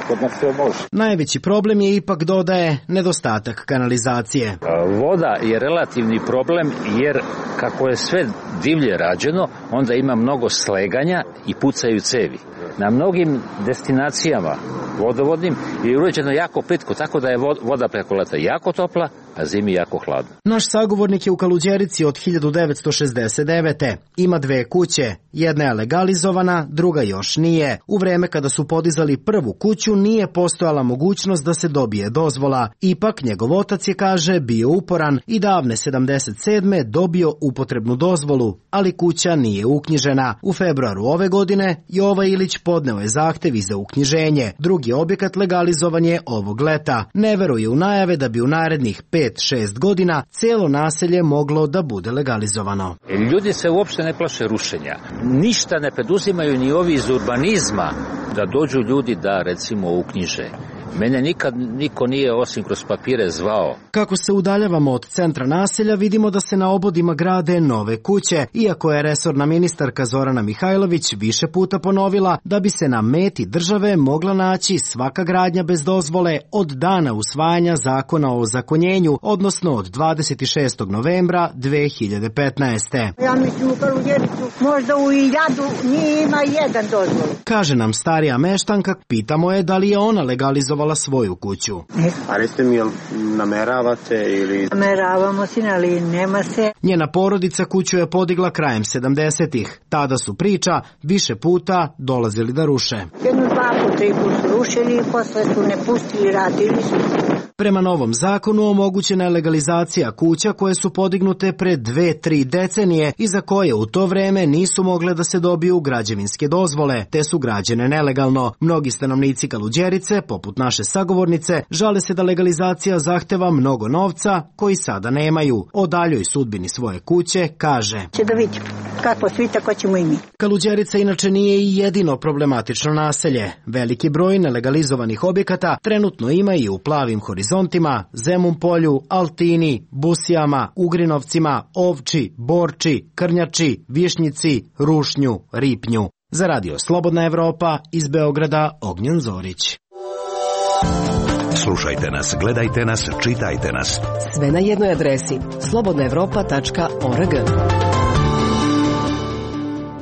kod nas sve može. Najveći problem je ipak, dodaje, nedostatak kanalizacije. Voda je relativni problem jer kako je sve divlje rađeno, onda ima mnogo sleganja i pucaju cevi. Na mnogim destinacijama vodovodnim je uređeno jako plitko, tako da je voda preko leta jako topla, a zimi jako hladno. Naš sagovornik je u Kaluđerici od hiljadu devetsto šezdeset devete. Ima dve kuće. Jedna je legalizovana, druga još nije. U vreme kada su podizali prvu kuću nije postojala mogućnost da se dobije dozvola. Ipak njegov otac je, kaže, bio uporan i davne sedamdeset sedme dobio upotrebnu dozvolu, ali kuća nije uknjižena. U februaru ove godine Jova Ilić podneo je zahtev i za uknjiženje. Drugi objekat legalizovan je ovog leta. Ne veruje u najave da bi u narednih pet šest godina cijelo naselje moglo da bude legalizovano. Ljudi se uopšte ne plaše rušenja. Ništa ne preduzimaju ni ovi iz urbanizma da dođu ljudi da, recimo, uknjiže. Mene nikad niko nije osim kroz papire zvao. Kako se udaljavamo od centra naselja, vidimo da se na obodima grade nove kuće, iako je resorna ministarka Zorana Mihajlović više puta ponovila da bi se na meti države mogla naći svaka gradnja bez dozvole od dana usvajanja zakona o ozakonjenju, odnosno od dvadeset šestog novembra dve hiljade petnaeste. Ja mislim u Kaluđericu, možda u Iljadu nije ima jedan dozvol. Kaže nam starija meštanka, pitamo je da li je ona legalizovala svoju kuću. A recite mi, jel nameravate ili... Nameravamo se, ali nema se. Njena porodica kuću je podigla krajem sedamdesetih. Tada su, priča, više puta dolazili da ruše. Jednu, dva puta, tri puta su rušili i posle su ne pustili, radili su. Prema novom zakonu omogućena je legalizacija kuća koje su podignute pre dve, tri decenije i za koje u to vreme nisu mogle da se dobiju građevinske dozvole, te su građene nelegalno. Mnogi stanovnici Kaluđerice, poput naše sagovornice, žale se da legalizacija zahteva mnogo novca koji sada nemaju. O daljoj sudbini svoje kuće kaže: Će da vidimo kako svi, tako ćemo i mi. Kaluđerica inače nije i jedino problematično naselje. Veliki broj nelegalizovanih objekata trenutno ima i u Plavim horizontima, Zemun polju, Altini, Busijama, Ugrinovcima, Ovči, Borči, Krnjači, Višnjici, Rušnju, Ripnju. Za radio Slobodna Evropa, iz Beograda, Ognjen Zorić. Slušajte nas, gledajte nas, čitajte nas. Sve na jednoj adresi slobodna evropa tačka org.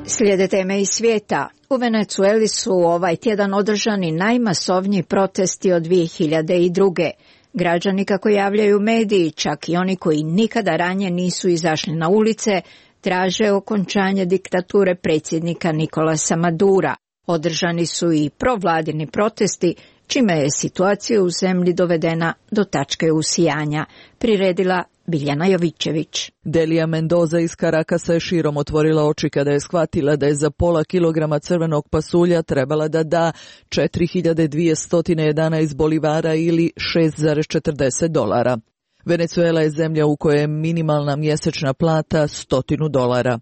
Slijede teme iz svijeta. U Venecueli su ovaj tjedan održani najmasovniji protesti od dvije hiljade druge. Građani, kako javljaju mediji, čak i oni koji nikada ranije nisu izašli na ulice, traže okončanje diktature predsjednika Nikolasa Madura. Održani su i provladini protesti, čime je situacija u zemlji dovedena do tačke usijanja, priredila Biljana Jovićević. Delija Mendoza iz Karakasa je širom otvorila oči kada je shvatila da je za pola kilograma crvenog pasulja trebala da da četiri hiljade dvjesto jedanaest bolivara ili šest zarez četrdeset dolara. Venecuela je zemlja u kojoj je minimalna mjesečna plata stotinu dolara.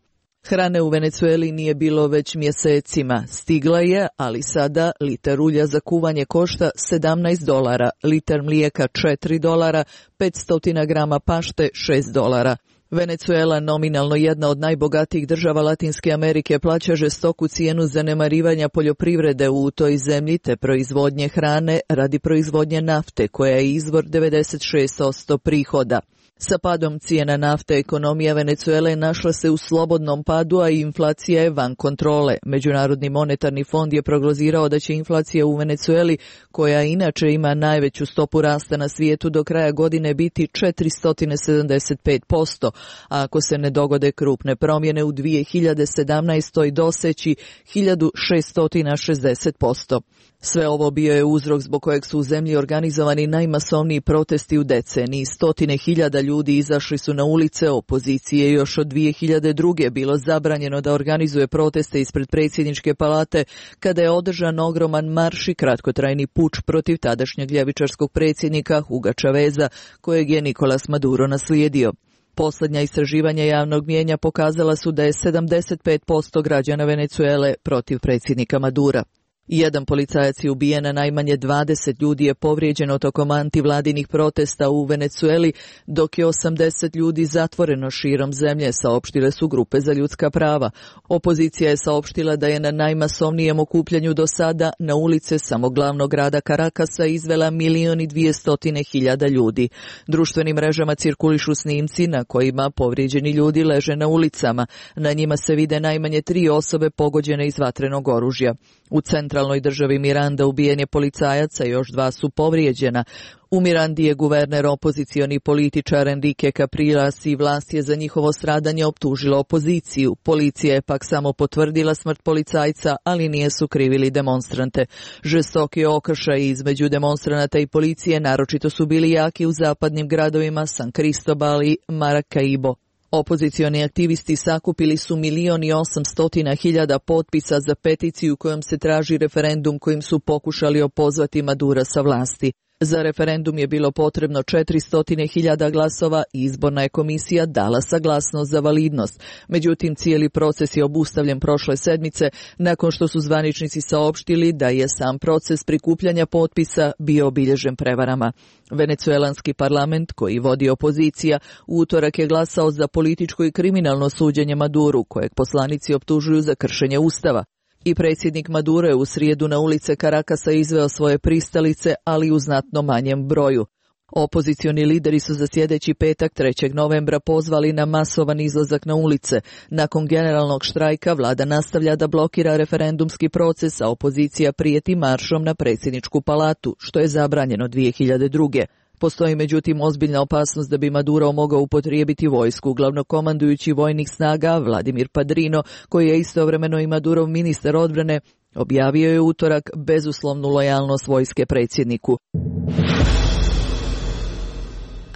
Hrane u Venecueli nije bilo već mjesecima. Stigla je, ali sada liter ulja za kuvanje košta sedamnaest dolara, liter mlijeka četiri dolara, petsto grama pašte šest dolara. Venecuela, nominalno jedna od najbogatijih država Latinske Amerike, plaća žestoku cijenu zanemarivanja poljoprivrede u toj zemlji te proizvodnje hrane radi proizvodnje nafte, koja je izvor devedeset šest posto prihoda. Sa padom cijena nafte ekonomija Venecuele našla se u slobodnom padu, a inflacija je van kontrole. Međunarodni monetarni fond je prognozirao da će inflacija u Venecueli, koja inače ima najveću stopu rasta na svijetu, do kraja godine biti četiristo sedamdeset pet posto, a ako se ne dogode krupne promjene u dvije hiljade sedamnaestoj doseći hiljadu šesto šezdeset posto. Sve ovo bio je uzrok zbog kojeg su u zemlji organizovani najmasovniji protesti u deceniji. Stotine hiljada ljudi izašli su na ulice. Opoziciji je još od dvije hiljade druge bilo zabranjeno da organizuje proteste ispred predsjedničke palate kada je održan ogroman marš i kratkotrajni puč protiv tadašnjeg ljevičarskog predsjednika Huga Chaveza, kojeg je Nicolas Maduro naslijedio. Posljednja istraživanja javnog mnijenja pokazala su da je sedamdeset pet posto građana Venecuele protiv predsjednika Madura. Jedan policajac je ubijen, a najmanje dvadeset ljudi je povrijeđeno tokom antivladinih protesta u Venecueli, dok je osamdeset ljudi zatvoreno širom zemlje, saopštile su grupe za ljudska prava. Opozicija je saopštila da je na najmasovnijem okupljanju do sada na ulice samo glavnog grada Karakasa izvela milion i dvjestotine hiljada ljudi. Društvenim mrežama cirkulišu snimci na kojima povrijeđeni ljudi leže na ulicama. Na njima se vide najmanje tri osobe pogođene iz vatrenog oružja. U centralnom centralnoj državi Miranda ubijen je policajac, a još dva su povrijeđena. U Mirandi je guverner opozicioni političar Enrique Capriles i vlast je za njihovo stradanje optužila opoziciju. Policija je pak samo potvrdila smrt policajca, ali nije sukrivili demonstrante. Žestoki okršaji između demonstranata i policije naročito su bili jaki u zapadnim gradovima San Cristobal i Maracaibo. Opozicioni aktivisti sakupili su milion i osamstotina hiljada potpisa za peticiju kojom se traži referendum kojim su pokušali opozvati Madura sa vlasti. Za referendum je bilo potrebno četiristo hiljada glasova i izborna je komisija dala saglasnost za validnost. Međutim, cijeli proces je obustavljen prošle sedmice nakon što su zvaničnici saopštili da je sam proces prikupljanja potpisa bio obilježen prevarama. Venecuelanski parlament, koji vodi opozicija, u utorak je glasao za političko i kriminalno suđenje Maduru, kojeg poslanici optužuju za kršenje ustava. I predsjednik Maduro je u srijedu na ulice Karakasa izveo svoje pristalice, ali u znatno manjem broju. Opozicioni lideri su za sljedeći petak trećeg novembra pozvali na masovan izlazak na ulice. Nakon generalnog štrajka vlada nastavlja da blokira referendumski proces, a opozicija prijeti maršom na predsjedničku palatu, što je zabranjeno dvije hiljade druge. Postoji međutim ozbiljna opasnost da bi Maduro mogao upotrijebiti vojsku. Glavnokomandujući vojnih snaga Vladimir Padrino, koji je istovremeno i Madurov ministar odbrane, objavio je utorak bezuslovnu lojalnost vojske predsjedniku.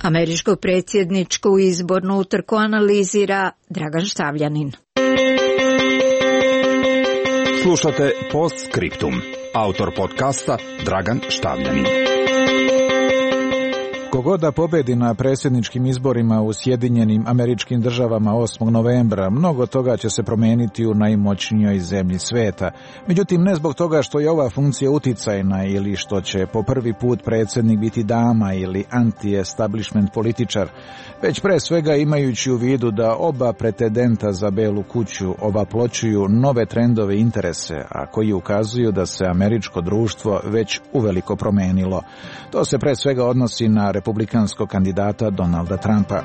Američku predsjedničku izbornu utrku analizira Dragan Štavljanin. Slušate Postscriptum. Autor podcasta Dragan Štavljanin. Kogoda pobedi na predsjedničkim izborima u Sjedinjenim Američkim Državama osmog novembra, mnogo toga će se promijeniti u najmoćnijoj zemlji sveta. Međutim, ne zbog toga što je ova funkcija uticajna ili što će po prvi put predsjednik biti dama ili anti-establishment političar, već pre svega imajući u vidu da oba pretendenta za Belu kuću obaploćuju nove trendove i interese, a koji ukazuju da se američko društvo već uveliko promenilo. To se pre svega odnosi na republikanskog kandidata Donalda Trumpa.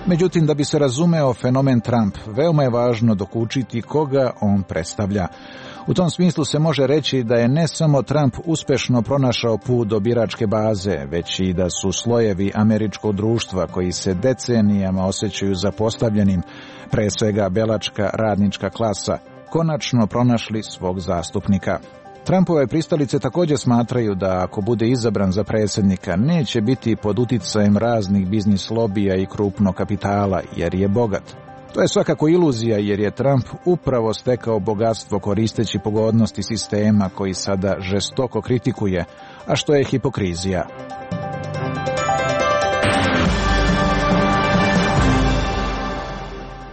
Međutim, da bi se razumeo fenomen Trump, veoma je važno dokučiti koga on predstavlja. U tom smislu se može reći da je ne samo Trump uspešno pronašao put do biračke baze, već i da su slojevi američkog društva koji se decenijama osjećaju zapostavljenim, pre svega belačka radnička klasa, konačno pronašli svog zastupnika. Trumpove pristalice također smatraju da ako bude izabran za predsjednika neće biti pod uticajem raznih biznis lobija i krupnog kapitala jer je bogat. To je svakako iluzija jer je Trump upravo stekao bogatstvo koristeći pogodnosti sistema koji sada žestoko kritikuje, a što je hipokrizija.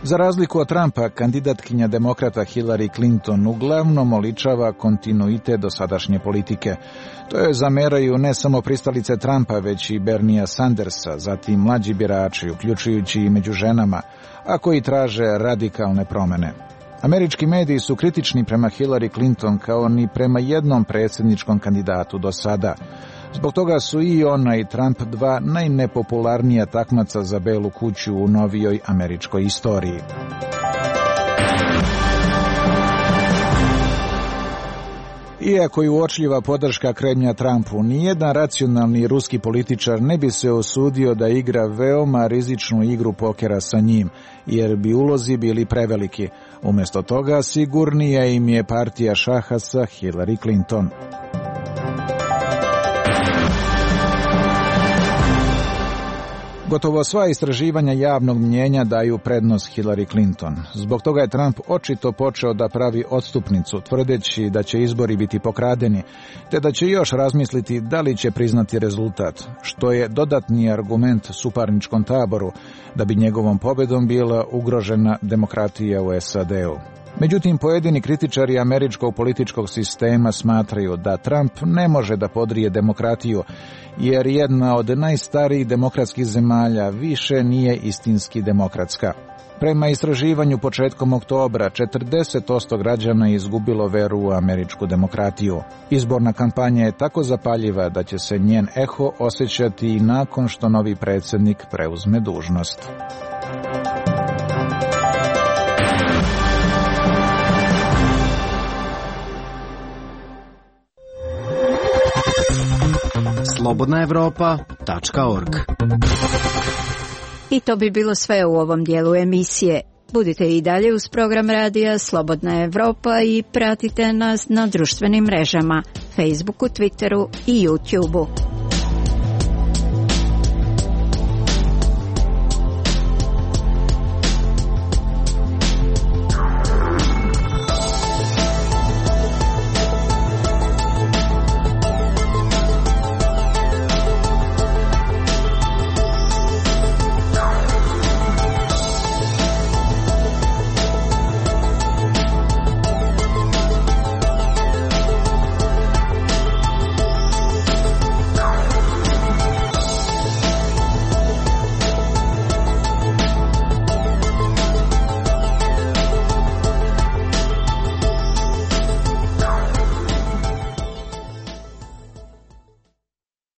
Za razliku od Trumpa, kandidatkinja demokrata Hillary Clinton uglavnom oličava kontinuitet dosadašnje politike. To je zameraju ne samo pristalice Trumpa, već i Bernija Sandersa, zatim mlađi birači, uključujući i među ženama, a koji traže radikalne promjene. Američki mediji su kritični prema Hillary Clinton kao ni prema jednom predsjedničkom kandidatu do sada. Zbog toga su i ona i Trump dva najnepopularnija takmaca za Belu kuću u novijoj američkoj istoriji. Iako je uočljiva podrška Kremlja Trumpu, nijedan racionalni ruski političar ne bi se usudio da igra veoma rizičnu igru pokera sa njim, jer bi ulozi bili preveliki. Umjesto toga sigurnija im je partija šaha sa Hillary Clinton. Gotovo sva istraživanja javnog mnjenja daju prednost Hillary Clinton. Zbog toga je Trump očito počeo da pravi odstupnicu, tvrdeći da će izbori biti pokradeni, te da će još razmisliti da li će priznati rezultat, što je dodatni argument suparničkom taboru da bi njegovom pobedom bila ugrožena demokratija u S A D-u. Međutim, pojedini kritičari američkog političkog sistema smatraju da Trump ne može da podrije demokratiju, jer jedna od najstarijih demokratskih zemalja više nije istinski demokratska. Prema istraživanju početkom oktobra, četrdeset posto građana je izgubilo veru u američku demokratiju. Izborna kampanja je tako zapaljiva da će se njen eho osjećati i nakon što novi predsjednik preuzme dužnost. slobodna evropa tačka org. I to bi bilo sve u ovom dijelu emisije. Budite i dalje uz program radija Slobodna Evropa i pratite nas na društvenim mrežama, Facebooku, Twitteru i YouTubeu.